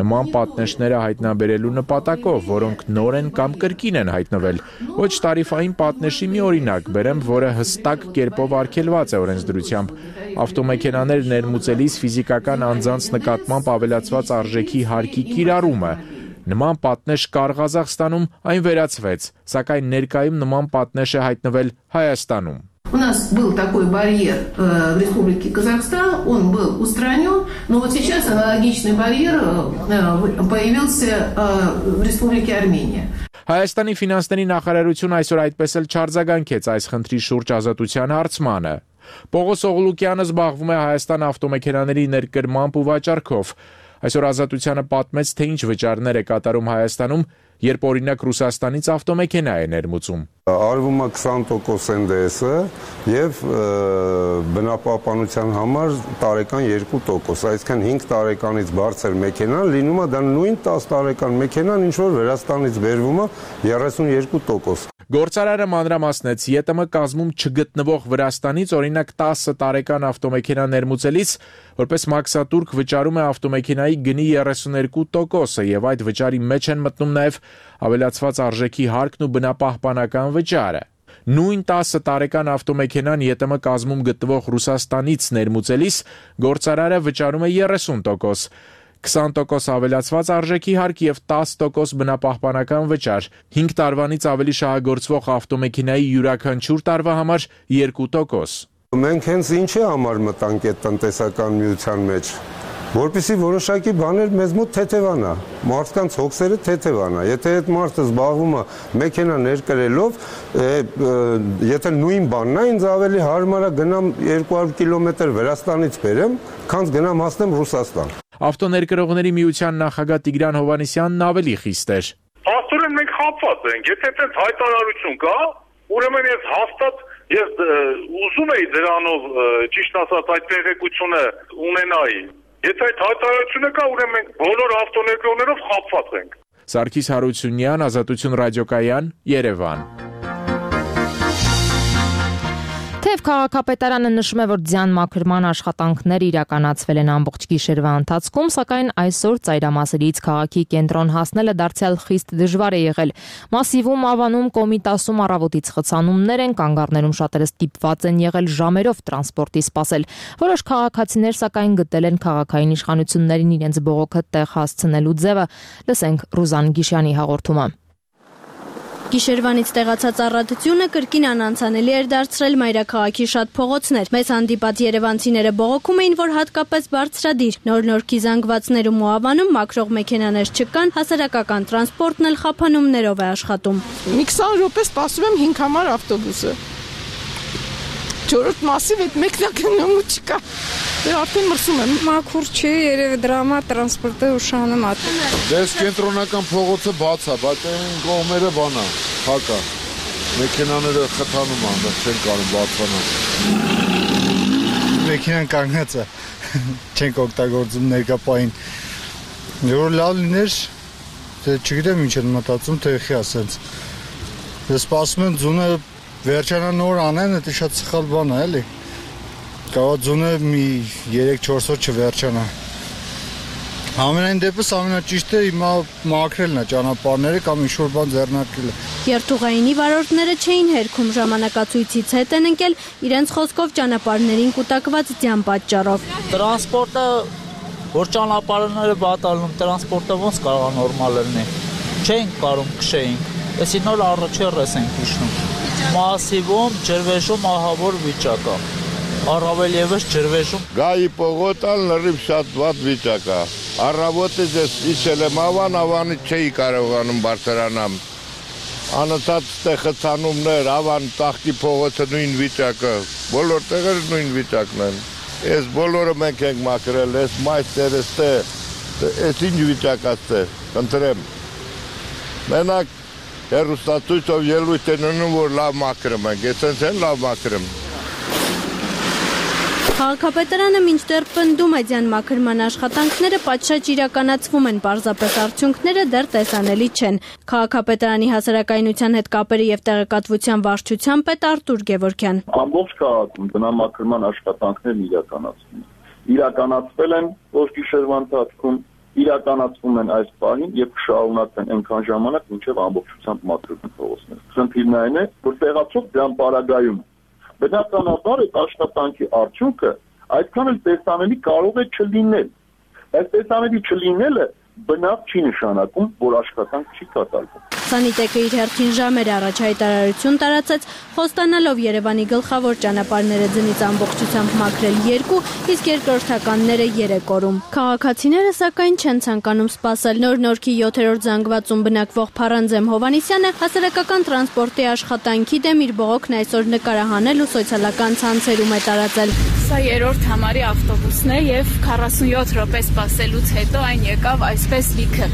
նման պատնեշները հայտնաբերելու նպատակով, որոնք նոր են կամ կրկին են հայտնվել։ Ոչ տարիֆային պատնեշի մի օրինակ բերեմ, որը հստակ կերպով արգելված է օրենսդրությամբ։ Ավտոմեքենաներ ներմուծելիս ֆիզիկական անձանց նկատմամբ ավելացված արժեքի հարկի կիրառումը։ Նման պատնեշ կար Ղազախստանում, այն վերացվեց, սակայն ներկայում նման պատնեշ է հայտնվել Հայաստանում։ У нас был такой барьер э, в Республике Казахстан, он был устранен, но вот сейчас аналогичный барьер э, появился э, в Республике Армения. Հայաստանի ֆինանսների նախարարությունը այսօր այդպես էլ չարձագանքեց այս խնդրի շուրջ ազատության հարցմանը։ Պողոս Օղլուկյանը զբաղվում է Հայաստան ավտոմեքենաների ներկրմամբ ու վաճառքով։ Այսօր ազատությանը պատմեց, թե ինչ վճարներ է կատարում Հայաստանում, երբ օրինակ Ռուսաստանից ավտոմեքենա է ներմուծում։ Արվում է քսան տոկոս Էն Դե Էսը եւ բնապահպանության համար տարեկան երկու տոկոս, այսինքն հինգ տարեկանից բարձր մեքենան լինում է դա նույն տասը տարեկան մեքենան, ինչ որ Վրաստանից բերվում է երեսունյերկու տոկոս։ Գործարարը մանրամասնեց, ԵՏՄ կազմում չգտնվող Վրաստանից օրինակ տասը տարեկան ավտոմեքենա ներմուծելիս որպես մաքսատուրք վճարում է ավտոմեքենայի գնի երեսուներկու տոկոսը եւ այդ վճարի մեջ են մտնում նաեւ ավելացված արժեքի հարկն ու բնապահպանական վճարը։ Նույն տասը տարեկան ավտոմեքենան ԵՏՄ կազմում գտնվող Ռուսաստանից ներմուծելիս գործարարը վճարում է երեսուն տոկոս։ քսան տոկոս ավելացված արժեքի հարկ եւ տասը տոկոս բնապահպանական վճար, հինգ տարվանից ավելի շահագործվող ավտոմեքենայի յուրաքանչյուր տարվա համար երկու տոկոս։ Մենք հենց ինչի համար մտանք այդ տնտեսական միության մեջ, որպեսզի որոշակի բաներ մեզ մոտ թեթևանա, մարդկանց հոգսերը թեթևանա։ Եթե այդ մարդը զբաղվում է մեքենա ներկրելով, եթե նույն բանն է, ինձ ավելի հարմար է գնամ երկու հարյուր կիլոմետր Վրաստանից բերեմ, քան գնամ հասնեմ Ռուսաստան։ Ավտոներկրողների միության նախագահ Տիգրան Հովհաննիսյանն ավելի խիստ էր։ Աստորեն մենք խապված ենք, եթե այդպես հայտարարություն կա, ուրեմն ես հաստատ ես ուզում եի դրանով ճիշտ ասած այդ տեղեկությունը ունենայի։ Եթե այդ հայտարարությունը կա, ուրեմն մենք բոլոր ավտոներկրողներով խապված ենք։ Սարգիս Հարությունյան, Ազատություն ռադիոկայան, Երևան։ Թեև քաղաքապետարանը նշում է, որ ձյան մաքրման աշխատանքներ իրականացվել են ամբողջ գիշերվա ընթացքում, սակայն այսօր ծայրամասերից քաղաքի կենտրոն հասնելը դարձյալ խիստ դժվար է եղել։ Մասիվում, Ավանում, Կոմիտասում առավոտից խցանումներ են, կանգառներում շատերը ստիպված են եղել ժամերով տրանսպորտի սպասել։ Որոշ քաղաքացիներ սակայն գտել են քաղաքային իշխանություններին իրենց բողոքը տեղ հասցնելու ձևը։ Լսենք Ռուզան Գիշյանի հաղորդումը։ Գիշերվանից տեղացած առատությունը կրկին անանցանելի էր դարձրել մայրաքաղաքի շատ փողոցներ։ Մեզ հանդիպած երևանցիները բողոքում էին, որ հատկապես բարձրադիր նոր-նորքի զանգվածներում ու Ավանում մաքրող մեքենաներ չկան, հասարակական տրանսպորտն էլ խափանումներով է աշխատում։ Մի քսան րոպե սպասում եմ հինգ համար ավտոբուսը։ Չորրորդ մասիվ այդ մեքենան չկա։ Դե արդեն մրսում եմ։ Մաքուր չի, երևի դրա համար տրանսպորտը ուշանում է։ Դες կենտրոնական փողոցը բաց է, բայց այն կողմերը բան է, փակ է։ Մեքենաները խթանում են, դա չեն կարող բացվանալ։ Մեքենան կանգնած է, չենք օգտագործում ներկա պահին։ Որ լավ լիներ, թե չգիտեմ ինչ են մտածում, թե եղի ասենց։ Դե սպասում են ձունը վերջանա նոր անեն, դա շատ սխալ բան է, էլի։ Կարող ձունը մի երեք-չորս օր չվերջանա։ Ամենայն դեպս ամենաճիշտը հիմա մաքրելն է ճանապարհները կամ ինչ-որ բան ձեռնարկելը։ Երթուղայինի վարորդները չէին հերքում, ժամանակացույցից հետ են ընկել իրենց խոսքով ճանապարհներին կուտակված ձյան պատճառով։ Տրանսպորտը, որ ճանապարհները բատալնում, տրանսպորտը ոնց կարող է նորմալ լինի։ Չենք կարող քշեինք, այսի նոր առաջերս ենք իջնում։ Մասիվում ջրվեժում ահավոր վիճակ է։ Առավել եւս ջրվեժում Գայի պողոտան լրիվ շատ վատ վիճակ է։ Առավոտը ես իջել եմ Ավան, Ավանից չէի կարողանում բարձրանամ։ Անընդհատ ստեղծանումներ, ավան տախտի փողոցը նույն վիճակը, բոլոր տեղերը նույն վիճակն են։ Այս բոլորը մենք ենք մաքրել, այս մայստերը ստե, այս ինչ վիճակած է, ընտրեմ։ Մենակ հեռուստացույցով ելույթ են ունում, որ լավ մաքրում ենք, այսպես են լավ մաքրում։ Քաղաքապետարանը մինչդեռ պնդում է ձյան մաքրման աշխատանքները պատշաճ իրականացվում են, պարզապես արդյունքները դեռ տեսանելի չեն։ Քաղաքապետարանի հասարակայնության հետ կապերի եւ տեղեկատվության վարչության պետ Արտուր Գևորգյան։ Ամբողջ քաղաքում բնամաքրման աշխատանքներն իրականացվում են։ Իրականացվել են ոչ գիշերվա ընթացքում, իրականացվում են այս պահին եւ կշարունակվեն այնքան ժամանակ, մինչեւ ամբողջությամբ մաքրվեն փողոցները։ Խնդիրն այն է, որ տեղացող դրան պարագայում բնականաբար այդ աշխատանքի արդյունքը այդքան էլ տեսանելի կարող է չլինել։ Այս տեսանելի չլինելը բնավ չի նշանակում, որ աշխատանք չի կատարվում։ Սանիտեկը իր հերթին ժամեր առաջ հայտարարություն տարածեց, խոստանալով Երևանի գլխավոր ճանապարհները ձնից ամբողջությամբ մաքրել երկու, իսկ երկրորդականները երեք օրում։ Քաղաքացիները սակայն չեն ցանկանում սպասել։ Նոր Նորքի յոթերորդ զանգվածում բնակվող Փարանձեմ Հովանիսյանը հասարակական տրանսպորտի աշխատանքի դեմ իր բողոքն այսօր նկարահանել ու սոցիալական ցանցերում է տարածել։ Սա երրորդ համարի ավտոբուսն է եւ քառասունյոթ րոպե սպասելուց հետո այն եկավ այսպես լիքը։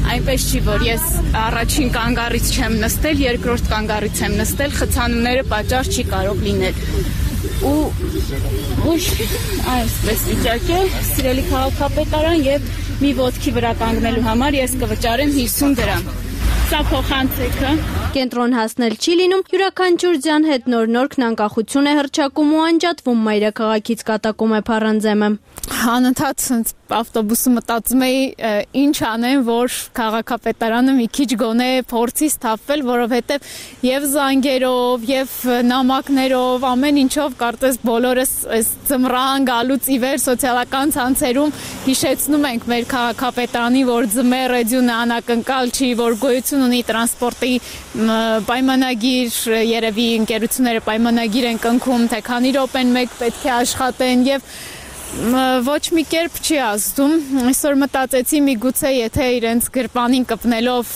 Այնպես չի, որ ես առաջին կանգառից չեմ նստել, երկրորդ կանգառից եմ նստել, խցանումները պատճառ չի կարող լինել։ Ու ուշ այսպես վիճակ է, սիրելի քաղաքապետարան, եւ մի ոտքի վրա կանգնելու համար ես կվճարեմ հիսուն դրամ։ Սա փոխանցեքը։ Կենտրոն հասնել չի լինում, յուրաքանչյուր ձյան հետ Նոր Նորքն անկախություն է հռչակում ու անջատվում, մայրաքաղաքից կատակում է Փարանձեմը։ Անընդհատ ավտոբուսը մտածում էի ինչ անեմ, որ քաղաքապետարանը մի քիչ գոնե փորձի սթափվել, որովհետև եւ զանգերով, եւ նամակներով, ամեն ինչով կարծես բոլորս այս ծմրան գալուց ի վեր սոցիալական ցանցերում հիշեցնում ենք մեր քաղաքապետարանի, որ ձմեռ էդյունը անակնկալ չի, որ գոյություն ունի տրանսպորտի պայմանագիր, երևի ընկերությունները պայմանագիր են կնքում, թե քանի րոպեն մեկ պետք է աշխատեն եւ ոչ մի կերպ չի ազդում։ Այսօր մտածեցի միգուցե եթե իրենց գրպանին կպնելով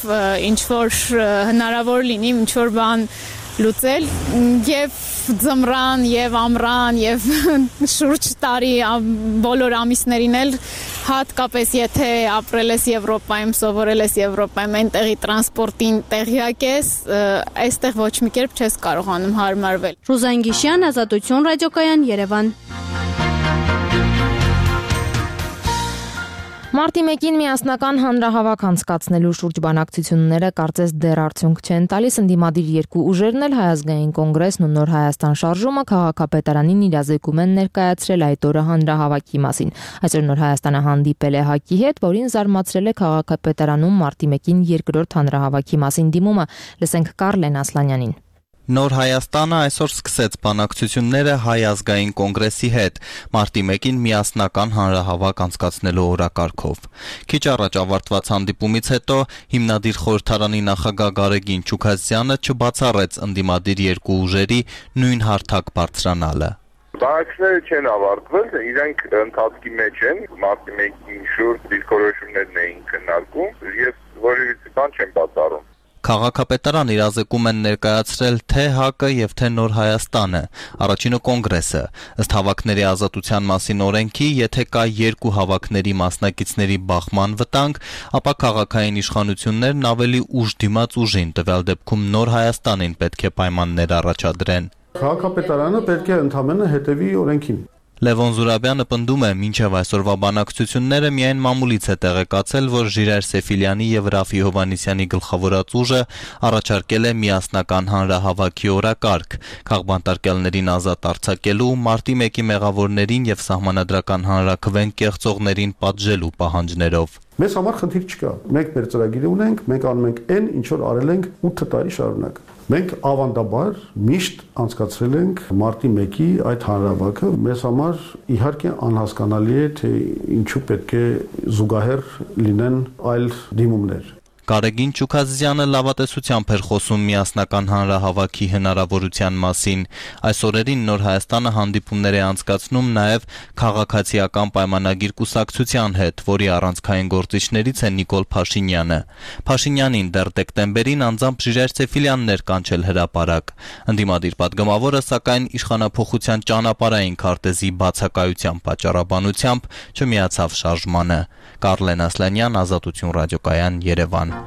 ինչ որ հնարավոր լինի ինչ որ բան լուծել եւ ձմռան եւ ամռան եւ շուրջ տարի բոլոր ամիսներին էլ հատկապես եթե ապրել ես Եվրոպայում, սովորել ես Եվրոպայում, այնտեղի տրանսպորտին տեղյակ ես, այստեղ ոչ մի կերպ չես կարողանում հարմարվել։ Ռուզան Գիշյան, Ազատություն ռադիոկայան, Երևան։ Մարտի մեկին միասնական հանրահավաք անցկացնելու շուրջ բանակցությունները կարծես դեռ արդյունք չեն տալիս, ընդդիմադիր երկու ուժերն էլ Հայազգային կոնգրեսն ու Նոր Հայաստան շարժումը քաղաքապետարանին իրազեկում են ներկայացրել այդ օրը հանրահավաքի մասին։ Այսօր Նոր Հայաստանը հանդիպել է ՀԱԿ-ի հետ, որին զարմացրել է քաղաքապետարանում մարտի մեկին երկրորդ հանրահավաքի մասին դիմումը։ Լսենք Կարլեն Ասլանյանին։ Նոր Հայաստանը այսօր սկսեց բանակցությունները Հայ ազգային կոնգրեսի հետ, մարտի մեկին միասնական հանրահավաք անցկացնելու օրակարգով։ Քիչ առաջ ավարտված հանդիպումից հետո հիմնադիր խորհրդարանի նախագահ Գարեգին Չուքազյանը չբացառեց ընդդիմադիր երկու ուժերի նույն հարթակ բարձրանալը։ Բանակցությունները չեն ավարտվել, իրենք ընթացքի մեջ են, մարտի մեկին շուրջ դիրքորոշումներն էին քննարկում եւ որևիցե բան չեն բացառում։ Քաղաքապետարան իրազեկում են ներկայացրել թե ՀԱԿ-ը եւ թե Նոր Հայաստանը, առաջինը կոնգրեսը, ըստ հավաքների ազատության մասին օրենքի, եթե կա երկու հավաքների մասնակիցների բախման վտանգ, ապա քաղաքային իշխանություններն ավելի ուժ դիմաց ուժին, տվյալ դեպքում Նոր Հայաստանին պետք է պայմաններ առաջադրեն։ Քաղաքապետարանը պետք է ընդհանրապես հետևի օրենքին։ Լևոն Զուրաբյանը պնդում է, մինչև այսօրվա բանակցությունները միայն մամուլից է տեղեկացել, որ Ժիրայր Սեֆիլյանի եւ Ռաֆի Հովանիսյանի գլխավորած ուժը առաջարկել է միասնական հանրահավաքի օրակարգ, քաղբանտարկյալներին ազատ արձակելու, մարտի մեկի մեղավորներին եւ սահմանադրական հանրաքվեն կեղծողներին պատժելու պահանջներով։ Մեզ համար խնդիր չկա։ Մենք մեր ծրագիրը ունենք, մենք անում ենք այն, ինչ որ արել ենք ութ տարի շարունակ։ Մենք ավանդաբար միշտ անցկացրել ենք մարտի մեկի այդ հանրահավաքը, մեզ համար իհարկե անհասկանալի է, թե ինչու պետք է զուգահեռ լինեն այլ դիմումներ։ Գարեգին Չուքազյանը լավատեսությամբ էր խոսում միասնական հանրահավաքի հնարավորության մասին։ Այս օրերին Նոր Հայաստանը հանդիպումներ է անցկացնում նաև քաղաքացիական պայմանագիր կուսակցության հետ, որի առանցքային գործիչներից է Նիկոլ Փաշինյանը։ Փաշինյանին դեռ դեկտեմբերին անձամբ Ժիրայր Սեֆիլյանն էր կանչել հրապարակ։ Ընդդիմադիր պատգամավորը սակայն իշխանափոխության ճանապարհային քարտեզի բացակայության պատճառաբանությամբ չմիացավ շարժմանը։ Կարլեն Ասլանյան, Ազատություն ռադիոկայան, Երևան։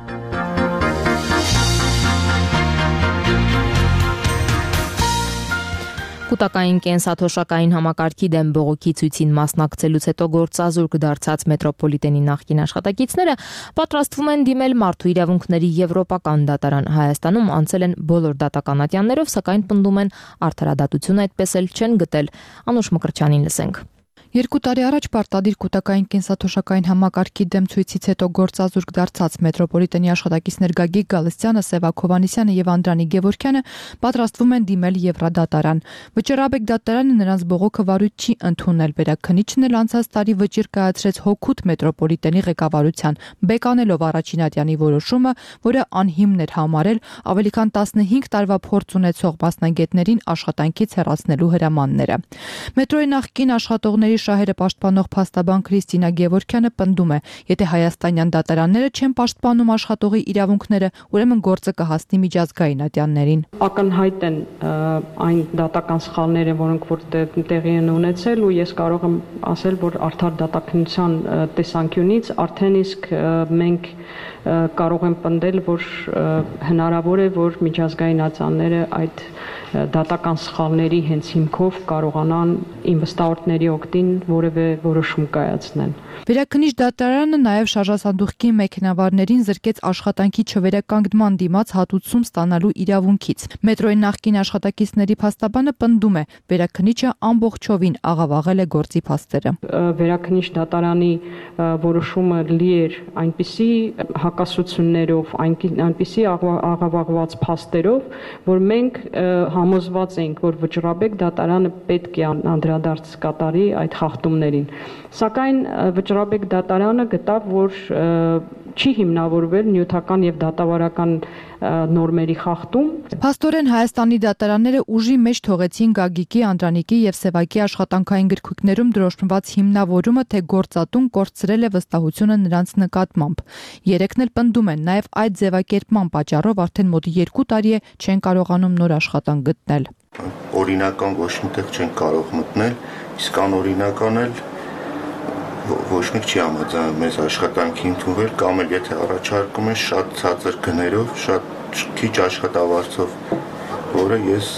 Կուտակային կենսաթոշակային համակարգի դեմ բողոքի ցույցին մասնակցելուց հետո գործազուրկ դարձած մետրոպոլիտենի նախկին աշխատակիցները պատրաստվում են դիմել Մարդու իրավունքների եվրոպական դատարան։ Հայաստանում անցել են բոլոր դատական ատյաններով, սակայն պնդում են արդարադատություն այդպես էլ չեն գտել։ Անուշ Մկրտչյանին լսենք։ Երկու տարի առաջ պարտադիր կուտակային կենսաթոշակային համակարգի դեմ ցույցից հետո գործազուրկ դարձած մետրոպոլիտենի աշխատակիցներ Գագիկ Գալստյանը, Սևակ Հովհաննիսյանը եւ Անդրանիկ Գևորգյանը պատրաստվում են դիմել Եվրադատարան։ Վճռաբեկ դատարանը նրանց բողոքը վարույթ չի ընդունել։ Վերաքննիչն էլ անցած տարի վճիռ կայացրեց հոգուտ մետրոպոլիտենի ղեկավարության, բեկանելով առաջին ատյանի որոշումը, որը անհիմն էր համարել ավելի քան տասնհինգ տարվա փորձ ունեցող մասնագետներին աշխատանքից հեռացնելու հրամանները։ Մետրոյի նախկին աշխատողների շահերը պաշտպանող փաստաբան Քրիստինա Գևորգյանը պնդում է, եթե հայաստանյան դատարանները չեն պաշտպանում աշխատողի իրավունքները, ուրեմն գործը կհասնի միջազգային ատյաններին։ Ակնհայտ են այն դատական սխալները, որոնք որ տեղի են ունեցել, ու ես կարող եմ ասել, որ արդար դատականության տեսանկյունից արդեն իսկ մենք կարող ենք պնդել, որ հնարավոր է, որ միջազգային ատյանները այդ դատական սխալների հենց հիմքով կարողանան ինվեստորների օգտին որևէ որոշում կայացնեն։ Վերաքննիչ դատարանը նաև շարժասանդուղքի մեքենավարներին զրկեց աշխատանքի չվերականգնման դիմաց հատուցում ստանալու իրավունքից։ Մետրոյի նախկին աշխատակիցների փաստաբանը պնդում է, վերաքննիչը ամբողջովին աղավաղել է գործի փաստերը։ Վերաքննիչ դատարանի որոշումը լի էր այնպիսի հակասություններով, այնպիսի աղավաղված փաստերով, որ մենք համոզված ենք, որ վճռաբեկ դատարանը պետք է անդրադարձ կատարի այդ խախտումներին։ Սակայն վճռաբեկ դատարանը գտավ, որ չի հիմնավորվել նյութական եւ դատավարական նորմերի խախտում։ Փաստորեն Հայաստանի դատարանները ուժի մեջ թողեցին Գագիկի, Անդրանիկի եւ Սևակի աշխատանքային գրքույկներում դրոշմված հիմնավորումը, թե գործատուն կորցրել է վստահությունը նրանց նկատմամբ։ Երեքն էլ պնդում են, նաեւ այդ ձևակերպման պատճառով արդեն մոտ երկու տարի է չեն կարողանում նոր աշխատանք գտնել։ Օրինական ոչ միտեղ չեն կարող մտնել, իսկ անօրինական էլ ոչ մեկ չի համաձայնում մեզ աշխատանքի ընդունվել, կամ էլ եթե առաջարկում են շատ ցածր գներով, շատ քիչ աշխատավարձով, որը ես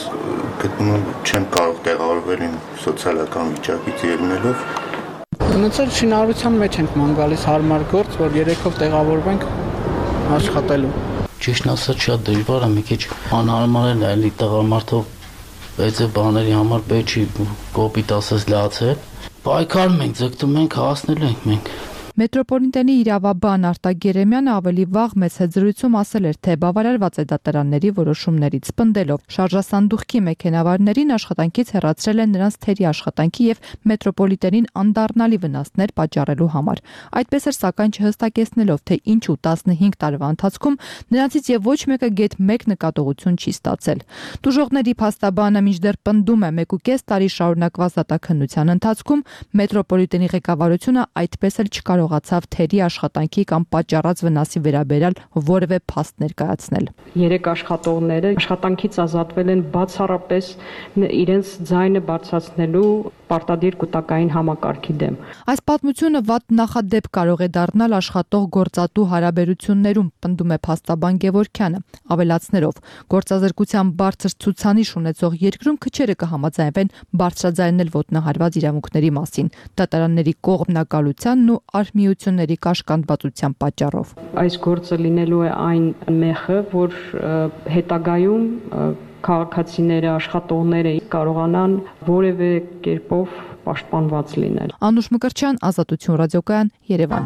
գտնում եմ չեմ կարող տեղավորվել իմ սոցիալական վիճակից ելնելով։ Ունեցել շինարարության մեջ ենք ման գալիս հարմար գործ, որ երեքով տեղավորվենք աշխատելու։ Ճիշտն ասած շատ դժվար է, մի քիչ անհարմար է այլ տղամարդով այդ բաների համար պետք չի կոպիտ ասած լացել։ Պայքարում ենք, ձգտում ենք, հասնելու ենք մենք։ Մետրոպոլիտենի իրավաբան Արտակ Երեմյանը ավելի վաղ մեծ հեծրույթում ասել էր, թե բավարարված է դատարանների որոշումներից, պնդելով շարժասանդուղքի մեքենավարներին աշխատանքից հեռացրել են նրանց թերի աշխատանքի եւ մետրոպոլիտենին անդառնալի վնասներ պատճառելու համար։ Այդպես էր, սակայն չհստակեցնելով, թե ինչու տասնհինգ տարվա ընթացքում նրանցից եւ ոչ մեկը գեթ մեկ նկատողություն չի ստացել։ Տուժողների փաստաբանը մինչդեռ պնդում է, մեկուկես տարի շարունակված դատաքննության ընթացքում մետրոպոլիտենի ղեկավարությունը այդպես էլ չկարողացավ ացավ թերի աշխատանքի կամ պատճառած վնասի վերաբերյալ որևէ փաստ ներկայացնել։ Երեք աշխատողները աշխատանքից ազատվել են բացառապես իրենց ձայնը բարձրացնելու պարտադիր կուտակային համակարգի դեմ։ Այս պատմությունը վատ նախադեպ կարող է դառնալ աշխատող գործատու հարաբերություններում, պնդում է փաստաբան Գևորգյանը, ավելացնելով, գործազրկության բարձր ցուցանիշ ունեցող երկրում քչերը կհամաձայնվեն բարձրաձայնել ոտնահարված իրավունքների մասին, դատարանների կողմնակալությանն ու արհմիությունների կաշկանդվածության պատճառով։ Այս գործը լինելու է այն մեխը, որ հետագայում քաղաքացիները, աշխատողները կարողանան որևէ կերպով պաշտպանված լինել։ Անուշ Մկրտչյան, Ազատություն ռադիոկայան, Երևան։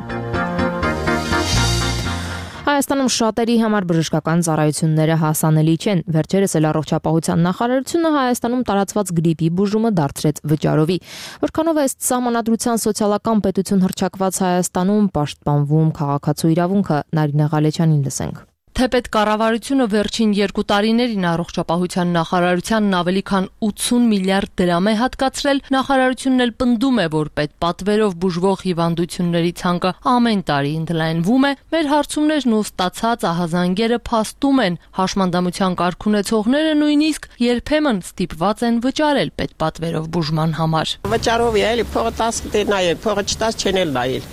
Հայաստանում շատերի համար բժշկական ծառայությունները հասանելի չեն։ Վերջերս էլ առողջապահության նախարարությունը Հայաստանում տարածված գրիպի բուժումը դարձրեց վճարովի։ Որքանով է ըստ Սահմանադրության սոցիալական պետություն հռչակված Հայաստանում պաշտպանվում քաղաքացու իրավունքը, Նարինե Ղալեչյանին լսենք։ Թեպետ կառավարությունը վերջին երկու տարիներին առողջապահության նախարարությանն ավելի քան ութսուն միլիարդ դրամ է հատկացրել, նախարարությունն էլ պնդում է, որ պետպատվերով բուժվող հիվանդությունների ցանկը ամեն տարի ընդլայնվում է, մեր հարցումներն ու ստացած ահազանգերը փաստում են, հաշմանդամության կարգ ունեցողները նույնիսկ երբեմն ստիպված են վճարել պետպատվերով բուժման համար։ Վճարով է, էլի փողը տասը դե նայել, փողը չտաս չեն էլ նայել։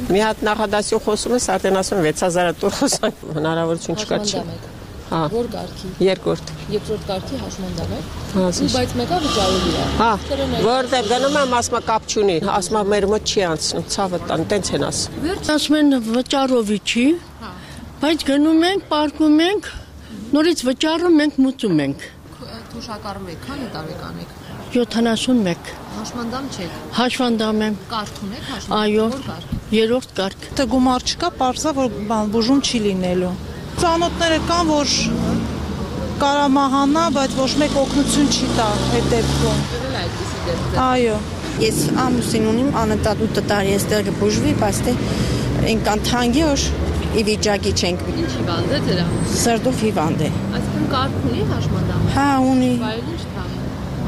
Մի հատ նախադասություն խոսում ես, արդեն ասում վեց հազար տուր խոսան, հնարավորություն չկա չի։ Հա։ Որ կարգի։ Երկրորդ։ Երկրորդ կարգի հաշմանդամ է։ Հա, բայց մեկը վճարովի է։ Հա։ Որտեղ գնում եմ, ասում կապ չունի, ասում մեր մոտ չի անցնում, ցավը տան, տենց են ասում։ Վերջ ասում են վճարովի չի։ Բայց գնում ենք, պարկում ենք, նորից վճարում ենք, մուծում ենք։ Թոշակառու եք, քանի տարեկան եք։ յոթանասունմեկ։ Հաշմանդամ չեք։ Հաշմանդամ եմ։ Կարգ ունեք հաշմանդամ։ Այո։ Որ կարգ։ Երրորդ կարգ։ Դե գումար չկա, պարզա որ բան բուժում չի լինելու։ Ծանոթները կան, որ կարա մահանա, բայց ոչ մեկ օգնություն չի տա այդ դեպքում։ Եղել է այդպիսի դեպք։ Այո։ Ես ամուսին ունիմ, անընդհատ ութ տարի էստեղ կբուժվի, բայց դե ինքան թանկի որ ի վիճակի չենք։ Ինչ հիվանդ է դրա։ Սրտով հիվանդ է։ Այսինքն կարգ ունի հաշմանդամ։ Հա, ունի։ Բայց ինչ թա։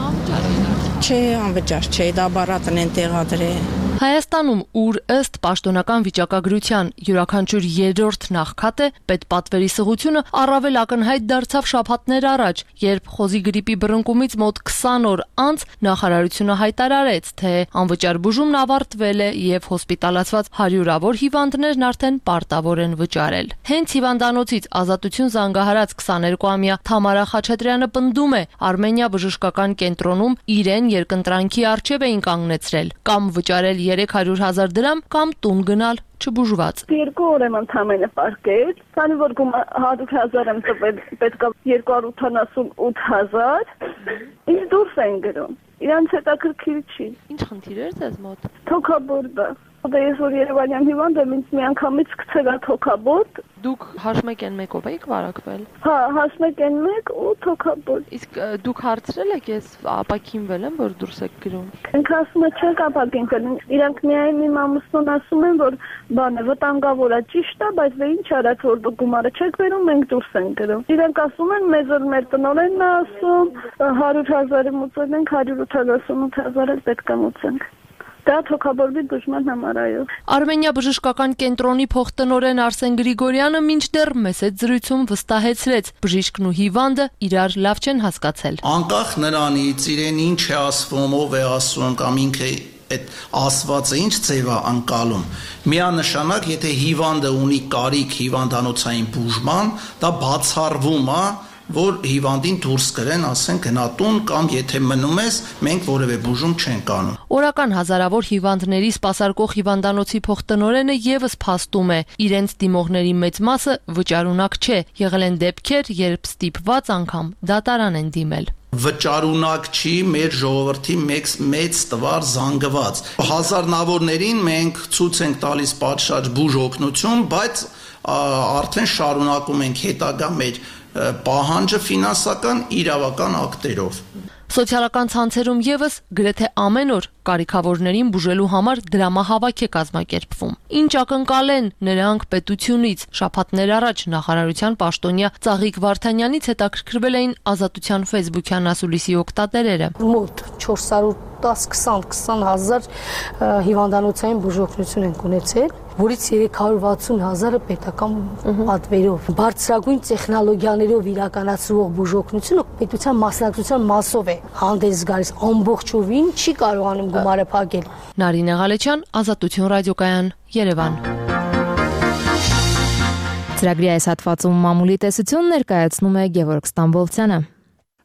Անվճար է։ Չէ, անվճար չէ, դա բառատն են տեղադրել։ Հայաստանում, ուր ըստ պաշտոնական վիճակագրության յուրաքանչյուր երրորդ նախքատ է, պետպատվերի սղությունը առավել ակնհայտ դարձավ շաբաթներ առաջ, երբ խոզի գրիպի բռնկումից մոտ քսան օր անց նախարարությունը հայտարարեց, թե անվճար բուժումն ավարտվել է եւ հոսպիտալացված հարյուրավոր հիվանդներն արդեն պարտավոր են վճարել։ Հենց հիվանդանոցից Ազատություն զանգահարած քսաներկուամյա Թամարա Խաչատրյանը պնդում է, Արմենիա բժշկական կենտրոնում իրեն երկընտրանքի առջև էին կանգնեցրել, կամ վճարել երեք հարյուր հազար դրամ կամ տուն գնալ չբուժված։ Երկու օր եմ ընդամենը պարկել, քանի որ գումար հարյուր հազար եմ տվել, պետք է երկու հարյուր ութանասունութ հազար, ինձ դուրս են գրում։ Իրանց հետաքրքիր չի։ Ինչ խնդիր էր ձեզ մոտ։ Թոքաբորտը։ Դե ես որ Երևանյան հիվանդ եմ, ինձ միանգամից գցել է թոքաբորտ։ Դուք հաշմեկ են մեկով եք վարակվել։ Հա, հաշմեկ են մեկ ու թոքաբորտ։ Իսկ դուք հարցրել եք, ես ապակինվել եմ, որ դուրս եք գրում։ Ինքը ասում է չեք ապակինվել։ Իրանք միայն իմ ամուսնուն ասում են, որ բանը վտանգավոր է, ճիշտ է, բայց դե ինչ արած որ դուք գումարը չեք վերում, մենք դուրս ենք գրում։ Իրանք ասում են, մեզ որ մեր տնօրենն է ասում, հարյուր հազարը մուծել ենք, հարյուր ութանասունութ հազարը պետք է մուծենք։ Դա թոքաբորտի բուժման համար այո։ Արմենիա բժշկական կենտրոնի փոխտնօրեն Արսեն Գրիգորյանը մինչդեռ մեծ զրույցում վստահեցրեց, բժիշկն ու հիվանդը իրար լավ չեն հասկացել։ Անկախ նրանից իրեն ինչ է ասվում, ով է ասում կամ ինքը այդ ասվածը ինչ ձև է անցալում, միանշանակ եթե հիվանդը ունի կարիք հիվանդանոցային բուժման, դա բացառվում է, որ հիվանդին դուրս կրեն, ասեն գնատուն կամ եթե մնում ես, մենք որևէ բուժում չենք անում։ Օրական հազարավոր հիվանդների սպասարկող հիվանդանոցի փոխտնօրենը եւս փաստում է, իրենց դիմողների մեծ մասը վճարունակ չէ, եղել են դեպքեր, երբ ստիպված անգամ դատարան են դիմել։ Վճարունակ չի մեր ժողովրդի մեծ մեծ տվար զանգված։ Հազարնավորներին մենք ցույց ենք տալիս պատշաճ բուժ օգնություն, բայց արդեն շարունակում ենք հետագա մեր պահանջը ֆինանսական իրավական ակտերով։ Սոցիալական ցանցերում եւս գրեթե ամեն օր կարիքավորներին բուժելու համար դրամահավաք է կազմակերպվում։ Ինչ ակնկալեն նրանք պետությունից։ Շաբաթներ առաջ նախարարության պաշտոնյա Ծաղիկ Վարդանյանից հետաքրքրվել էին Ազատության ֆեյսբուքյան ասուլիսի օգտատերերը։ Մոտ չորս հարյուր տասը քսան քսան հազար հիվանդանոցային բուժօգնություն են ունեցել, որից երեք հարյուր վաթսուն հազարը պետական պատվերով։ Բարձրագույն տեխնոլոգիաներով իրականացվող բուժօգնությունը պետության մասնակցության մասով է հանդես գալիս, ամբողջովին չի կարողանում գումարը փակել։ Նարինե Ղալեչյան, Ազատություն ռադիոկայան, Երևան։ Ծրագրի այս հատվածում մամուլի տեսություն ներկայացնում է Գևորգ Ստամբոլցյանը։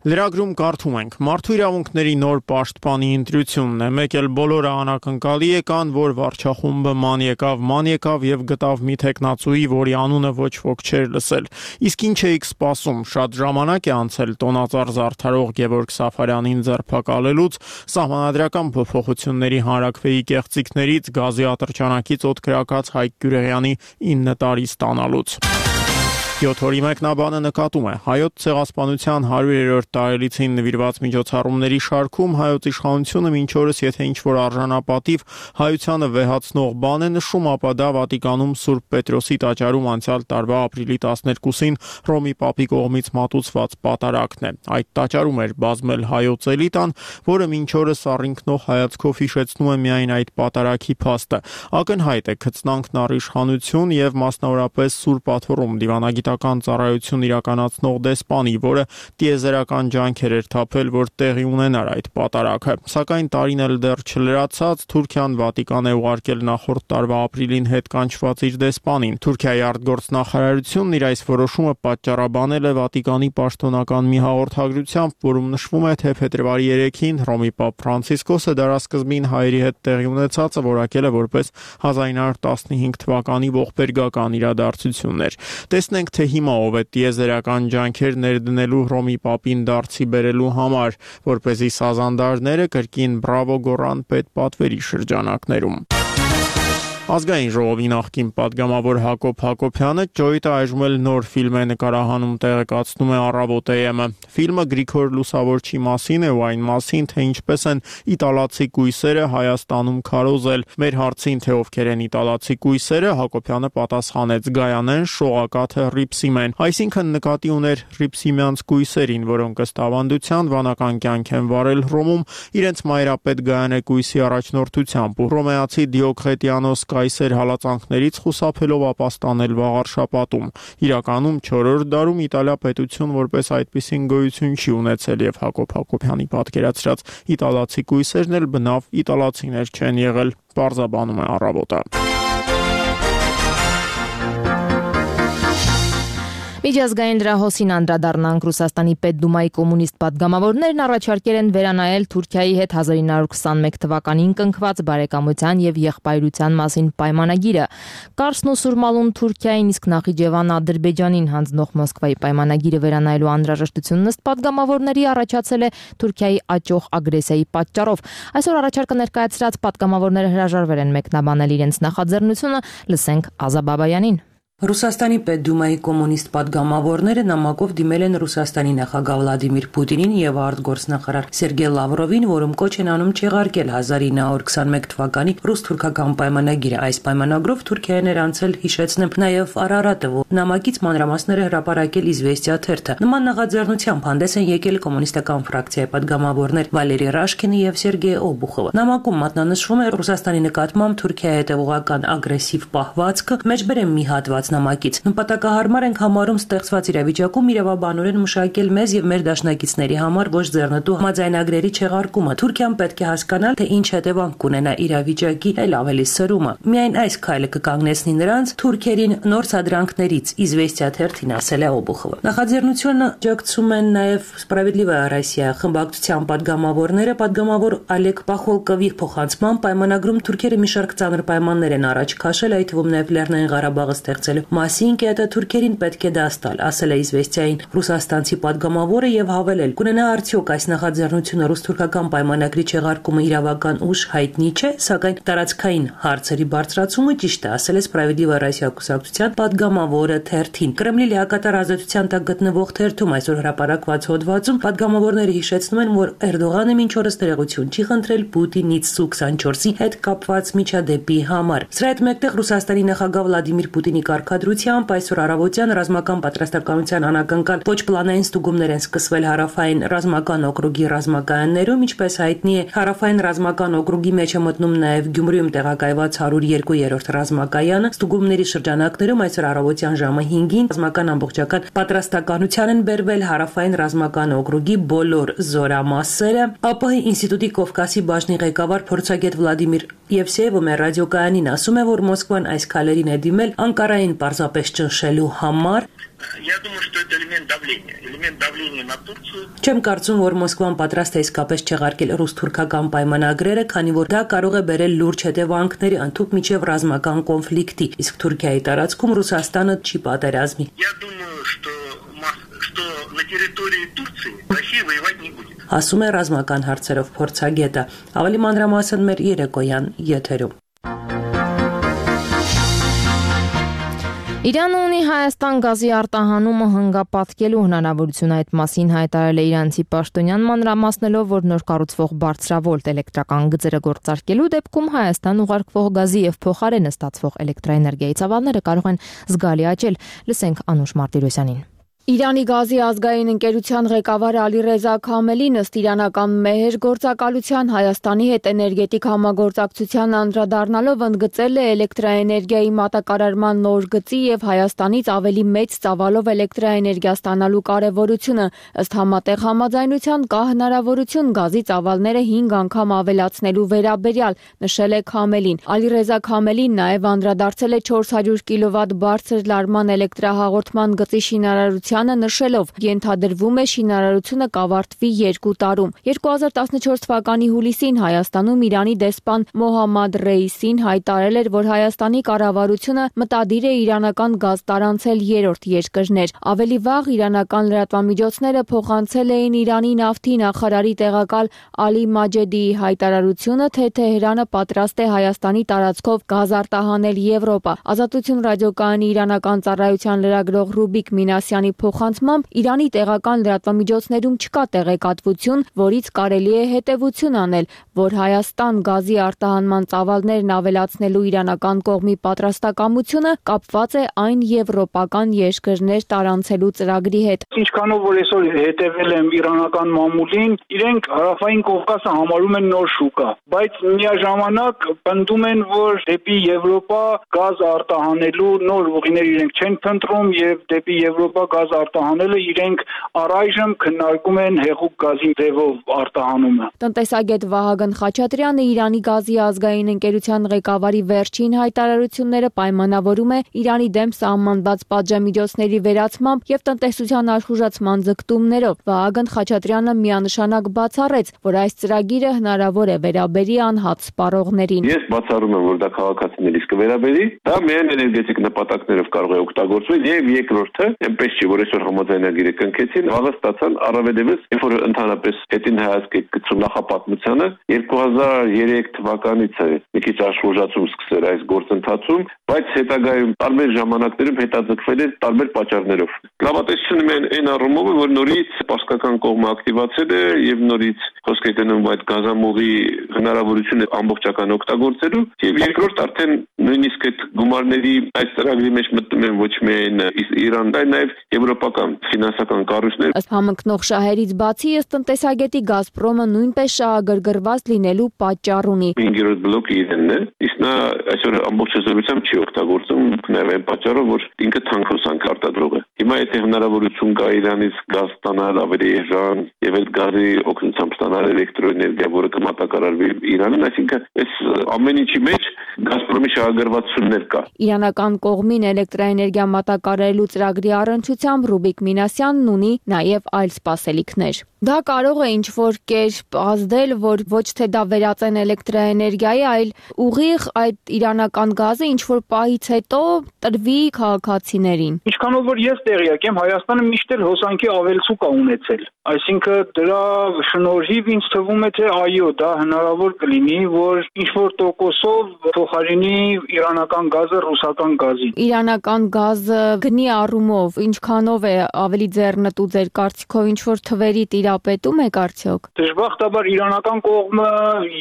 Լրագրում կարդում ենք. Մարդու իրավունքների նոր պաշտպանի ընտրությունն է, մեկ էլ բոլորը անակնկալի եկան, որ վարչախումբը ման եկավ, ման եկավ եւ գտավ մի տեխնացուի, որի անունը ոչ ոք չէր լսել։ Իսկ ինչ էիք սպասում, շատ ժամանակ է անցել տոնածառ զարդարող Գևորգ Սաֆարյանին ձերբակալելուց, սահմանադրական փոփոխությունների հանրաքվեի կեղծիքներից, գազի ատրճանակից օդկրակած Հայկ Գյուրեղյանի ինը տարի ստանալուց։ յոթ օրի մեկնաբանը նկատում է հայոց ցեղասպանության հարյուրերորդ տարելիցին նվիրված միջոցառումների շարքում հայոց իշխանությունը մինչ օրս եթե ինչ-որ արժանապատիվ հայությանը վեհացնող բան է նշում, ապա դա Վատիկանում Սուրբ Պետրոսի տաճարում անցյալ տարվա ապրիլի տասներկուսին Հռոմի Պապի կողմից մատուցված պատարագն է։ Այդ տաճարում էր բազմել հայոց էլիտան, որը մինչ օրս առինքնող հայացքով հիշեցնում է միայն այդ պատարագի փաստը։ Ակնհայտ է քծնանքն առ իշխանություն եւ մասնավորապես Սուրբ Աթոռում դիվանագիտական ծառայություն իրականացնող դեսպանի, որը տիեզերական ջանքեր էր թափել, որ տեղի ունենար այդ պատարագը։ Սակայն տարին էլ դեռ չլրացած Թուրքիան Վատիկան է ուղարկել նախորդ տարվա ապրիլին հետ կանչված իր դեսպանին։ Թուրքիայի արտգործնախարարությունն իր այս որոշումը պատճառաբանել է Վատիկանի պաշտոնական մի հաղորդագրությամբ, որում նշվում է, թե փետրվարի երեքին Հռոմի Պապ Ֆրանցիսկոսը դարասկզբին հայերի հետ տեղի ունեցածը որակել է որպես հազար ինը հարյուր տասնհինգ թվականի ողբերգական իրադարձություններ։ Տեսնենք, թե հիմա ով է տիեզերական ջանքեր ներդնելու Հռոմի Պապին դարձի բերելու համար, որպեսզի սազանդարները կրկին բրավո գոռան պետպատվերի շրջանակներում։ Ազգային ժողովի նախկին պատգամավոր Հակոբ Հակոբյանը Ջոյիթը այժմ էլ նոր ֆիլմ է նկարահանում, տեղեկացնում է Առավոտ է եմ-ը։ Ֆիլմը Գրիգոր Լուսավորչի մասին է ու այն մասին, թե ինչպես են իտալացի կույսերը Հայաստանում քարոզել։ Մեր հարցին, թե ովքեր են իտալացի կույսերը, Հակոբյանը պատասխանեց՝ Գայանեն, Շողակաթը, Ռիփսիմեն, այսինքն նկատի ուներ Ռիփսիմյանց կույսերին, որոնք ըստ ավանդության վանական կյանք են վարել Հռոմում իրենց մայրապետ Գայանե կույսի առաջնորդությամբ ու հռոմեացի Դիոկլետիանոս կայսեր հալածանքներից խուսափելով ապաստանել վաղարշապատում։ Իրականում չորրորդ դարում Իտալիա պետություն որպես այդպիսին գոյություն չի ունեցել եւ Հակոբ Հակոբյանի պատկերացրած իտալացի կույսերն էլ բնավ իտալացիներ չեն եղել, պարզաբանում է Առավոտը։ Միջազգային դրահոսին անդրադառնանք Ռուսաստանի Պետդումայի կոմունիստ պատգամավորներն առաջարկել են վերանայել Թուրքիայի հետ հազար ինը հարյուր քսանմեկ թվականին կնքված բարեկամության եւ եղբայրության մասին պայմանագիրը։ Կարսն ու Սուրմալուն Թուրքիային, իսկ Նախիջևանը Ադրբեջանին հանձնող Մոսկվայի պայմանագիրը վերանայելու անհրաժեշտությունն ըստ պատգամավորների առաջացել է Թուրքիայի աճող ագրեսիայի պատճառով։ Այսօր առաջարկը ներկայացրած պատգամավորները հրաժարվել են մեկնաբանել իրենց նախաձեռնությունը, լսենք Ազա Բաբայանին։ Ռուսաստանի Պետդումայի կոմունիստ պատգամավորները նամակով դիմել են Ռուսաստանի նախագահ Վլադիմիր Պուտինին եւ արտգործնախարար Սերգեյ Լավրովին, որում կոչ են անում չեղարկել հազար ինը հարյուր քսանմեկ թվականի ռուս-թուրքական պայմանագիրը։ Այս պայմանագրով Թուրքիան էր անցել, հիշեցնեմ, նաեւ Արարատը, որ նամակից մանրամասները հրապարակել Իզվեստիա թերթը։ Նման նախաձեռնությամբ հանդես են եկել կոմունիստական ֆրակցիայի պատգամավորներ Վալերի Ռաշկինը եւ Սերգեյ Օբուխովը։ Նամակում մատնանշվում է Ռուսաստանի նկատմամբ Թուրքիայի հետևողական ագրեսիվ պահվածքը, մեջբերեմ մի հատված նամակից։ Նպատակահարմար ենք համարում ստեղծված իրավիճակում իրավաբանորեն մշակել մեզ եւ մեր դաշնակիցների համար ոչ ձեռնտու համաձայնագրերի չեղարկումը։ Թուրքիան պետք է հասկանալ, թե ինչ հետևանք կունենա իրավիճակի էլ ավելի սրումը։ Միայն այս քայլը կկանգնեցնի նրանց թուրքերին նոր սադրանքներից, Իզվեստիա թերթին ասել է Օբուխովը։ Նախաձեռնությունը աջակցում են նաեւ Սպրավեդլիվա Ռոսիա խմբակցության պատգամավորները, պատգամավոր Ալեկ Պախոլկովի փոխանցման պայմանագրում թուրքերը մի շարք ծանր պայմաններ են առաջ քաշել, այդ թվում նաեւ Լեռնային Ղարաբաղը ստեղծել մասին կետը թուրքերին պետք է դա ստալ, ասել է Իզվեստիային ռուսաստանցի պատգամավորը եւ հավելել. կունենա արդյոք այս նախաձեռնությունը ռուս-թուրքական պայմանագրի չեղարկումը իրավական ուժ հայտնի չէ, սակայն տարածքային հարցերի բարձրացումը ճիշտ է, ասել է Սպրավեդլիվա Ռոսիա կուսակցության պատգամավորը թերթին։ Կրեմլի լիակատար ազատության տակ գտնվող թերթում այսօր հրապարակված հոդվածում պատգամավորները հիշեցնում են, որ Էրդողանը մինչ օրս տեղեկություն չի խնդրել Պուտինից Սու քսանչորսի հետ կապված միջադեպի համար։ Սրա հետ մեկտեղ Ռուսաստանի նախագահ Վլադիմիր Պուտինի կարգադրությամբ այսօր առավոտյան ռազմական պատրաստակամության անակնկալ ոչ պլանային ստուգումներ են սկսվել հարավային ռազմական օկրուգի ռազմակայաններում, ինչպես հայտնի է, հարավային ռազմական օկրուգի մեջ է մտնում նաև Գյումրիում տեղակայված հարյուր երկու-րդ ռազմակայանը։ Ստուգումների շրջանակներում այսօր առավոտյան ժամը հինգին ռազմական ամբողջական պատրաստականության են բերվել հարավային ռազմական օկրուգի բոլոր զորամասերը։ ԱՊՀ ինստիտուտի Կովկասի բաժնի ղեկավար փորձագետ Վլադիմիր Եվսեևը մեր ռադիոկայանին ասում է, որ Մոսկվան այս քայլերին է դիմել Անկարային պարզապես ճնշելու համար։ Չեմ կարծում, որ Մոսկվան պատրաստ է իսկապես չեղարկել ռուս-թուրքական պայմանագրերը, քանի որ դա կարող է բերել լուրջ հետևանքների, ընդհուպ միջև ռազմական կոնֆլիկտի, իսկ Թուրքիայի տարածքում Ռուսաստանը չի պատերազմի։ Ասում է ռազմական հարցերով փորձագետը։ Ավելի մանրամասն մեր երեկոյան եթերում։ Իրանը ունի Հայաստան գազի արտահանումը հնգապատկելու հնարավորություն, այդ մասին հայտարարել է իրանցի պաշտոնյան, մանրամասնելով, որ նոր կառուցվող բարձրավոլտ էլեկտրական գծերը գործարկելու դեպքում Հայաստան ուղարկվող գազի եւ փոխարենը ստացվող էլեկտրաէներգիայի ծավալները կարող են զգալի աճել։ Լսենք Անուշ Մարտիրոսյանին։ Իրանի գազի ազգային ընկերության ղեկավար Ալիրեզա Քամելին ըստ իրանական մեհեր գործակալության Հայաստանի հետ էներգետիկ համագործակցության անդրադառնալով ընդգծել է էլեկտրաէներգիայի մատակարարման նոր գծի եւ Հայաստանից ավելի մեծ ծավալով էլեկտրաէներգիա ստանալու կարեւորությունը։ Ըստ համատեղ համաձայնության կա հնարավորություն գազի ծավալները հինգ անգամ ավելացնելու վերաբերյալ, նշել է Քամելին։ Ալիրեզա Քամելին նաեւ անդրադարձել է չորս հարյուր կիլովատ բարձր լարման էլեկտրահաղորդման գծի շինարարության նշելով, ենթադրվում է շինարարությունը կավարտվի երկու տարում։ երկու հազար տասնչորս թվականի հուլիսին Հայաստանում Իրանի դեսպան Մոհամմադ Ռեյիսին հայտարարել էր, որ Հայաստանի կառավարությունը մտադիր է իրանական գազ տարանցել երրորդ երկրներ։ Ավելի վաղ իրանական լրատվամիջոցները փոխանցել էին Իրանի նավթի նախարարի տեղակալ Ալի Մաջեդիի հայտարարությունը, թե Թեհրանը պատրաստ է Հայաստանի տարածքով գազ արտահանել Եվրոպա։ Ազատություն ռադիոկայանի իրանական ծառայության լրագրող Ռուբիկ Մինասյանի փոխանցմամբ Իրանի տեղական լրատվամիջոցներում չկա տեղեկատվություն, որից կարելի է հետևություն անել, որ Հայաստան գազի արտահանման ծավալներն ավելացնելու իրանական կողմի պատրաստակամությունը կապված է այն եվրոպական երկրներ տարանցելու ծրագրի հետ։ Ինչքանով որ այսօր հետևել եմ իրանական մամուլին, իրենք հարավային Կովկասը համարում են նոր շուկա, բայց միաժամանակ պնդում են, որ դեպի Եվրոպա գազ արտահանելու նոր ուղիներ իրենք չեն փնտրում եւ դեպի Եվրոպա գազ արտահանելը իրենք առայժմ քննարկում են հեղուկ գազի ձևով արտահանումը։ Տնտեսագետ Վահագն Խաչատրյանը Իրանի գազի ազգային ընկերության ղեկավարի վերջին հայտարարությունները պայմանավորում է Իրանի դեմ սահմանված պատժամիջոցների վերացմամբ եւ տնտեսության աշխուժացման ձգտումներով։ Վահագն Խաչատրյանը միանշանակ բացառեց, որ այս ծրագիրը հնարավոր է վերաբերի անհատ սպառողներին։ Ես բացառում եմ, որ դա քաղաքացիներից կվերաբերի, դա միայն էներգետիկ նպատակներով կարող է օգտագործվել եւ երկրորդը այնպես չի, որ այսօր համաձայնագիրը կնքեցին, վաղը ստացան առավելևս, երբ որ ընդհանրապես հետին հայացք եք գցում նախապատմությանը, երկու հազար երեք թվականից է մի քիչ աշխուժացում սկսել այս գործընթացում, բայց հետագայում տարբեր ժամանակներում հետաձգվել է տարբեր պատճառներով։ Լավատեսությունը միայն այն առումով է, որ նորից պարսկական կողմը ակտիվացել է եւ նորից խոսք է գնում այդ գազամուղի հնարավորությունը ամբողջական օգտագործելու եւ երկրորդ արդեն նույնիսկ այդ գումարների այս ծրագրի մեջ մտնում են ոչ միայն Իրան, այլ նաեւ եվրոպական ֆինանսական կառույցներ։ Ըստ համընկնող շահերից բացի, ըստ տնտեսագետի Գազպրոմը նույնպես շահագրգռված լինելու պատճառ ունի։ Հինգերորդ բլոկը իրենն է, իսկ նա այսօր ամբողջ հզորությամբ չի օգտագործում նաեւ այն պատճառով, որ ինքը թանկոսանք արտադրող է։ Հիմա եթե հնարավորություն կա Իրանից գազ ստանալ ավելի էժան եւ այդ գազի օգնությամբ ստանալ էլեկտրոէներգիա, որը կմատակարարվի Իրանին, այսինքն այս ամեն ինչի մեջ Գազպրոմի շահագրգռվածություններ կա։ Իրանական կողմին էլեկտրաէներգիա մատակարարելու ծրագրի առընչությամբ Ռուբիկ Մինասյանն ունի նաև այլ սպասելիքներ։ Դա կարող է ինչ-որ կերպ ազդել, որ ոչ թե դա վերածեն էլեկտրաէներգիայի, այլ ուղիղ այդ իրանական գազը ինչ-որ պահից հետո տրվի քաղաքացիներին։ Ինչքանով որ ես տեղյակ եմ, Հայաստանը միշտ էլ հոսանքի ավելցուկ է ունեցել։ Այսինքն դրա շնորհիվ ինձ թվում է, թե այո, դա հնարավոր կլինի, որ ինչ-որ տոկոսով փոխարինի իրանական գազը ռուսական գազին։ Իրանական գազը գնի առումով ինչքանով է ավելի ձեռնտու ձեր կարծիքով, ինչ-որ թվերի տիրապետում եք արդյոք։ Դժբախտաբար իրանական կողմը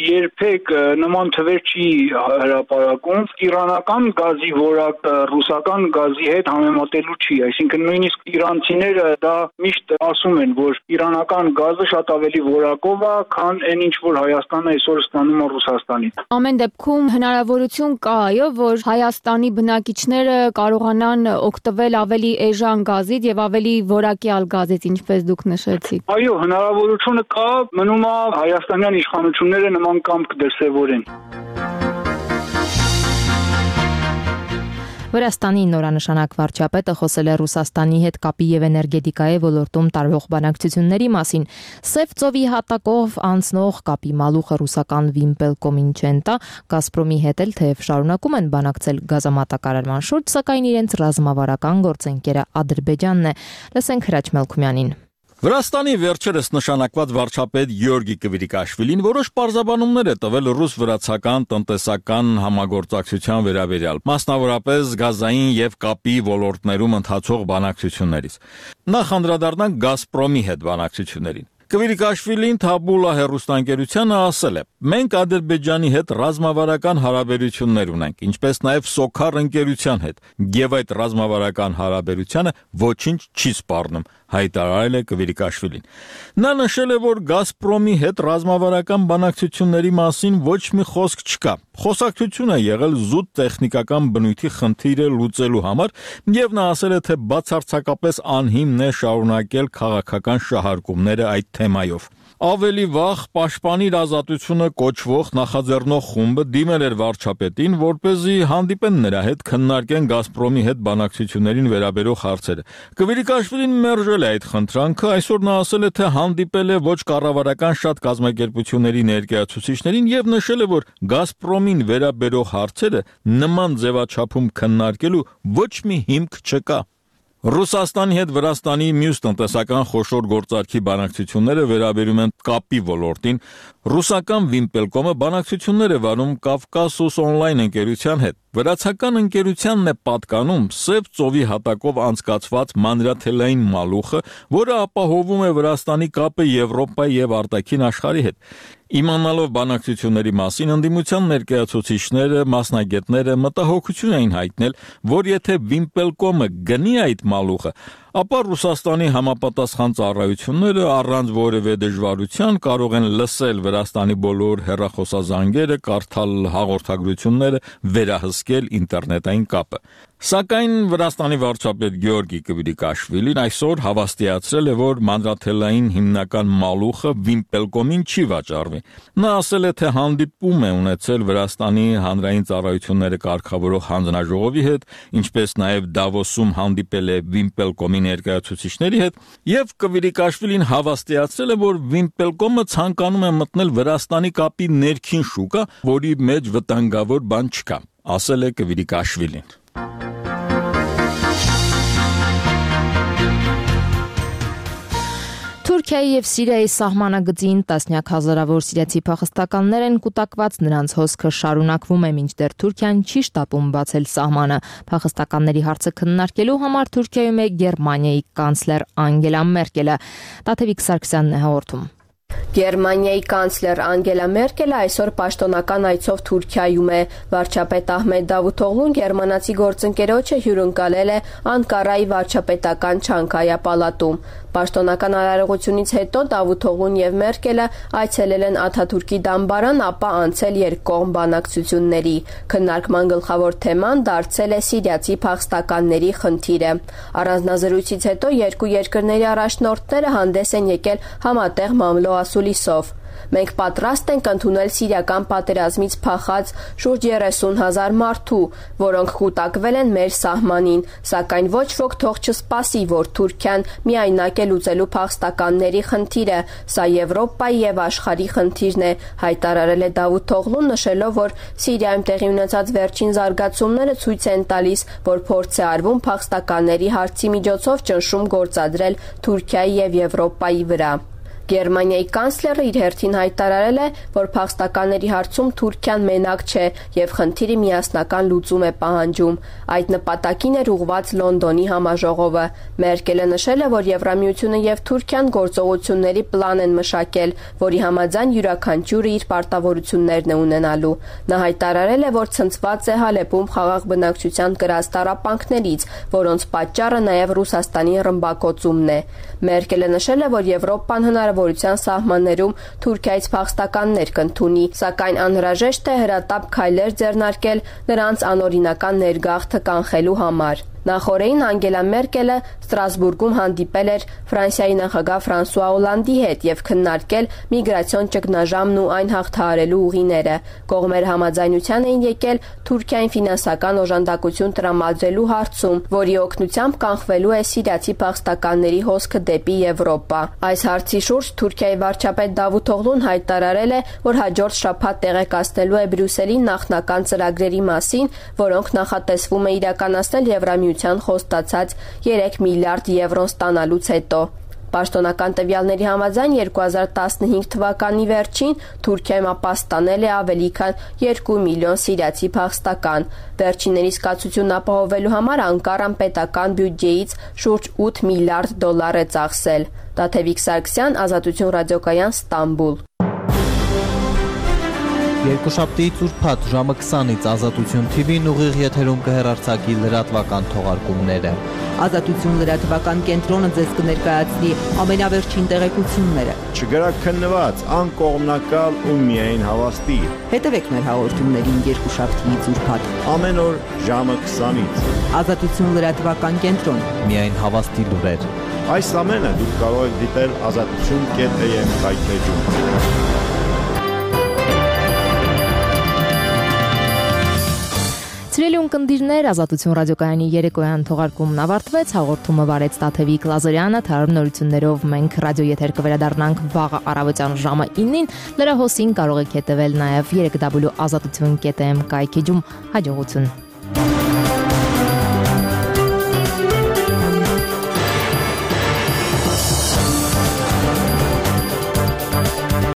երբեք նման թվեր չի հրապարակում։ Իրանական գազի որակը ռուսական գազի հետ համեմատելու չի, այսինքն նույնիսկ իրանցիները դա միշտ ասում են, որ իրանական գազը շատ ավելի որակով է, քան այն ինչ որ Հայաստանը այսօր ստանում է Ռուսաստանից։ Ամեն դեպքում հնարավորություն կա, այո, որ Հայաստանի բնակիչները կարողանան օգտվել ավելի էժան գազից եւ ավելի որակյալ գազից, ինչպես դուք նշեցիք։ Այո, հնարավորությունը կա, մնում է հայաստանյան իշխանությունները նման կամք դրսևորեն։ Վրաստանի նորանշանակ վարչապետը խոսել է Ռուսաստանի հետ կապի եւ էներգետիկայի ոլորտում տարվող բանակցությունների մասին։ Սև ծովի հատակով անցնող կապի մալուխը ռուսական Վիմպելկոմին չեն տա, Գազպրոմի հետ էլ թեև շարունակում են բանակցել գազամատակարարման շուրջ, սակայն իրենց ռազմավարական գործընկերը Ադրբեջանն է։ Լսենք Հրաչ Մելքումյանին։ Վրաստանի վերջերս նշանակված վարչապետ Գյորգի Կվիրիկաշվիլին որոշ պարզաբանումներ է տվել ռուս-վրացական տնտեսական համագործակցության վերաբերյալ, մասնավորապես գազային եւ կապի ոլորտներում ընթացող բանակցություններից։ Նախ անդրադառնանք Գազպրոմի հետ բանակցություններին։ Կվիրիկաշվիլին Թաբուլա հեռուստաընկերությանը ասել է. «Մենք Ադրբեջանի հետ ռազմավարական հարաբերություններ ունենք, ինչպես նաև Սոքար ընկերության հետ, եւ այդ ռազմավարական հարաբերությունը ոչինչ չի սպառնում», հայտարարել է Կվիրիկաշվիլին։ Նա նշել է, որ Գազպրոմի հետ ռազմավարական բանակցությունների մասին ոչ մի խոսք չկա։ Խոսակցություն է եղել զուտ տեխնիկական բնույթի խնդիրը լուծելու համար, եւ նա ասել է, թե բացարձակապես անհիմն է շարունակել քաղաքական շահարկումները այդ թեմայով։ Ավելի վաղ Պաշտպանիր ազատությունը կոչվող նախաձեռնող խումբը դիմել էր վարչապետին, որպեսզի հանդիպեն նրա հետ, քննարկեն Գազպրոմի հետ բանակցություններին վերաբերող հարցերը։ Կվիրիկաշվիլին մերժել է այդ խնդրանքը, այսօր նա ասել է, թե հանդիպել է ոչ կառավարական շատ կազմակերպությունների ներկայացուցիչներին եւ նշել է, որ Գազպրոմին վերաբերող հարցերը նման ձևաչափում քննարկելու ոչ մի հիմք չկա։ Ռուսաստանի հետ Վրաստանի մյուս տնտեսական խոշոր գործարքի բանակցությունները վերաբերում են կապի ոլորտին։ Ռուսական Վիմպելկոմը բանակցություններ է վարում Կավկասուս օնլայն ընկերության հետ։ Վրացական ընկերությանն է պատկանում Սև ծովի հատակով անցկացված մանրաթելային մալուխը, որը ապահովում է Վրաստանի կապը Եվրոպայի եւ արտաքին աշխարհի հետ։ Իմանալով բանակցությունների մասին, ընդդիմության ներկայացուցիչները, մասնագետները մտահոգություն էին հայտնել, որ եթե Վիմպելկոմը գնի այդ մալուխը, ապա Ռուսաստանի համապատասխան ծառայությունները առանց որևէ դժվարության կարող են լսել Վրաստանի բոլոր հեռախոսազանգերը, կարդալ հաղորդագրությունները, վերահսկել ինտերնետային կապը։ Սակայն Վրաստանի վարչապետ Գյորգի Կվիրիկաշվիլին այսօր հավաստիացրել է, որ մանրաթելային հիմնական մալուխը Վիմպելկոմին չի վաճառվի։ Նա ասել է, թե հանդիպում է ունեցել Վրաստանի հանրային ծառայությունները կարգավորող հանձնաժողովի հետ, ինչպես նաև Դավոսում հանդիպել է Վիմպելկոմի ներկայացուցիչների հետ, եւ Կվիրիկաշվիլին հավաստիացրել է, որ Վիմպելկոմը ցանկանում է մտնել Վրաստանի կապի ներքին շուկա, որի մեջ վտանգավոր բան չկա, ասել է Կվիրիկաշվիլին։ Թուրքիայի եւ Սիրիայի սահմանագծին տասնյակ հազարավոր սիրիացի փախստականներ են կուտակված, նրանց հոսքը շարունակվում է, մինչդեռ Թուրքիան չի շտապում բացել սահմանը։ Փախստականների հարցը քննարկելու համար Թուրքիայում է Գերմանիայի կանցլեր Անգելա Մերկելը։ Տաթևիկ Սարգսյանն է հաղորդում։ Գերմանիայի կանցլեր Անգելա Մերկելը այսօր պաշտոնական այցով Թուրքիայում է։ Վարչապետ Ահմեդ Դավութօղլուն գերմանացի գործընկերոջը հյուրընկալել է Անկարայի վարչապետական Չանկայա պալատում։ Պաշտոնական արարողությունից հետո Դավութօղլուն եւ Մերկելը այցելել են Աթաթուրքի դամբարան, ապա անցել երկկողմ բանակցությունների։ Քննարկման գլխավոր թեման դարձել է սիրիացի փախստականների խնդիրը։ Առանձնազրույցից հետո երկու երկրների առաջնորդները հանդես են եկել համատեղ մամլո-ասուլիսով։ Մենք պատրաստ ենք ընդունել սիրիական պատերազմից փախած շուրջ երեսուն հազար մարդու, որոնք կուտակվել են մեր սահմանին, սակայն ոչ ոք թող չսպասի, որ Թուրքիան միայնակ է լուծելու փախստականների խնդիրը, սա Եվրոպայի եւ աշխարհի խնդիրն է, հայտարարել է Դավութօղլուն, նշելով, որ Սիրիայում տեղի ունեցած վերջին զարգացումները ցույց են տալիս, որ փորձ է արվում փախստականների հարցի միջոցով ճնշում գործադրել Թուրքիայի եւ Եվրոպայի վրա։ Գերմանիայի կանցլերը իր հերթին հայտարարել է, որ փախստականների հարցում Թուրքիան մենակ չէ եւ խնդիրի միասնական լուծում է պահանջում։ Այդ նպատակին էր ուղղված Լոնդոնի համաժողովը։ Մերկելը նշել է, որ Եվրամիությունը եւ Թուրքիան գործողությունների պլան են մշակել, որի համաձայն յուրաքանչյուրը իր պարտավորություններն է ունենալու։ Նա հայտարարել է, որ ցնցված է Հալեպում խաղաղ բնակչության կրած տառապանքներից, որոնց պատճառը նաեւ Ռուսաստանի ռմբակոծումն է։ Մերկելը նշել է, որ Եվրոպան հնարավորության սահմաններում Թուրքիայից փախստականներ կընդունի, սակայն անհրաժեշտ է հրատապ քայլեր ձեռնարկել նրանց անօրինական ներգաղթը կանխելու համար։ Նախորդին Անգելա Մերկելը Ստրասբուրգում հանդիպել էր Ֆրանսիայի նախագահ Ֆրանսուଆ Օլանդի հետ եւ քննարկել միգրացիոն ճգնաժամն ու այն հաղթահարելու ուղիները։ Կողմերը համաձայնության էին եկել Թուրքիային ֆինանսական օժանդակություն տրամադրելու հարցում, որի օգնությամբ կանխվելու է սիրիացի փախստականների հոսքը դեպի Եվրոպա։ Այս հարցի շուրջ Թուրքիայի վարչապետ Դավութօղլուն հայտարարել է, որ հաջորդ շաբաթ տեղեկացնելու է Բրյուսելին նախնական ծրագրերի մասին, որոնք նախատեսվում է իրականացնել Եվրամիության խոստացած երեք միլիարդ եվրոն ստանալուց հետո։ Պաշտոնական տվյալների համաձայն երկու հազար տասնհինգ թվականի վերջին Թուրքիայում ապաստանել է ավելի քան երկու միլիոն սիրիացի փախստական։ Վերջիններիս կացությունն ապահովելու համար Անկարան պետական բյուջեից շուրջ ութ միլիարդ դոլար է ծախսել։ Տաթևիկ Սարգսյան, Ազատություն ռադիոկայան, Ստամբուլ։ Երկուշաբթիից ուրբաթ ժամը քսանից Ազատություն Թի Վին ուղիղ եթերում կհեռարձակի լրատվական թողարկումները։ Ազատություն լրատվական կենտրոնը ձեզ կներկայացնի ամենավերջին տեղեկությունները։ Չգրակ քննված, անկողմնակալ ու միայն հավաստի։ Հետևեք մեր հաղորդումներին երկուշաբթիից ուրբաթ ամեն օր ժամը քսանից։ Ազատություն լրատվական կենտրոն։ Միայն հավաստի լուրեր։ Այս ամենը դուք կարող եք դիտել ազատություն կետ էյ էմ կայքեջում։ Սիրելի ունկնդիրներ, Ազատություն ռադիոկայանի երեկոյան թողարկումն ավարտվեց, հաղորդումը վարեց Տաթևիկ Լազարյանը, թարմ նորություններով մենք ռադիոեթեր կվերադառնանք վաղը առավոտյան ժամը իննին, լրահոսին կարող եք հետևել նաև երեք դաբլյու ազատություն կետ էմ կայքեջում։ Հաջողություն։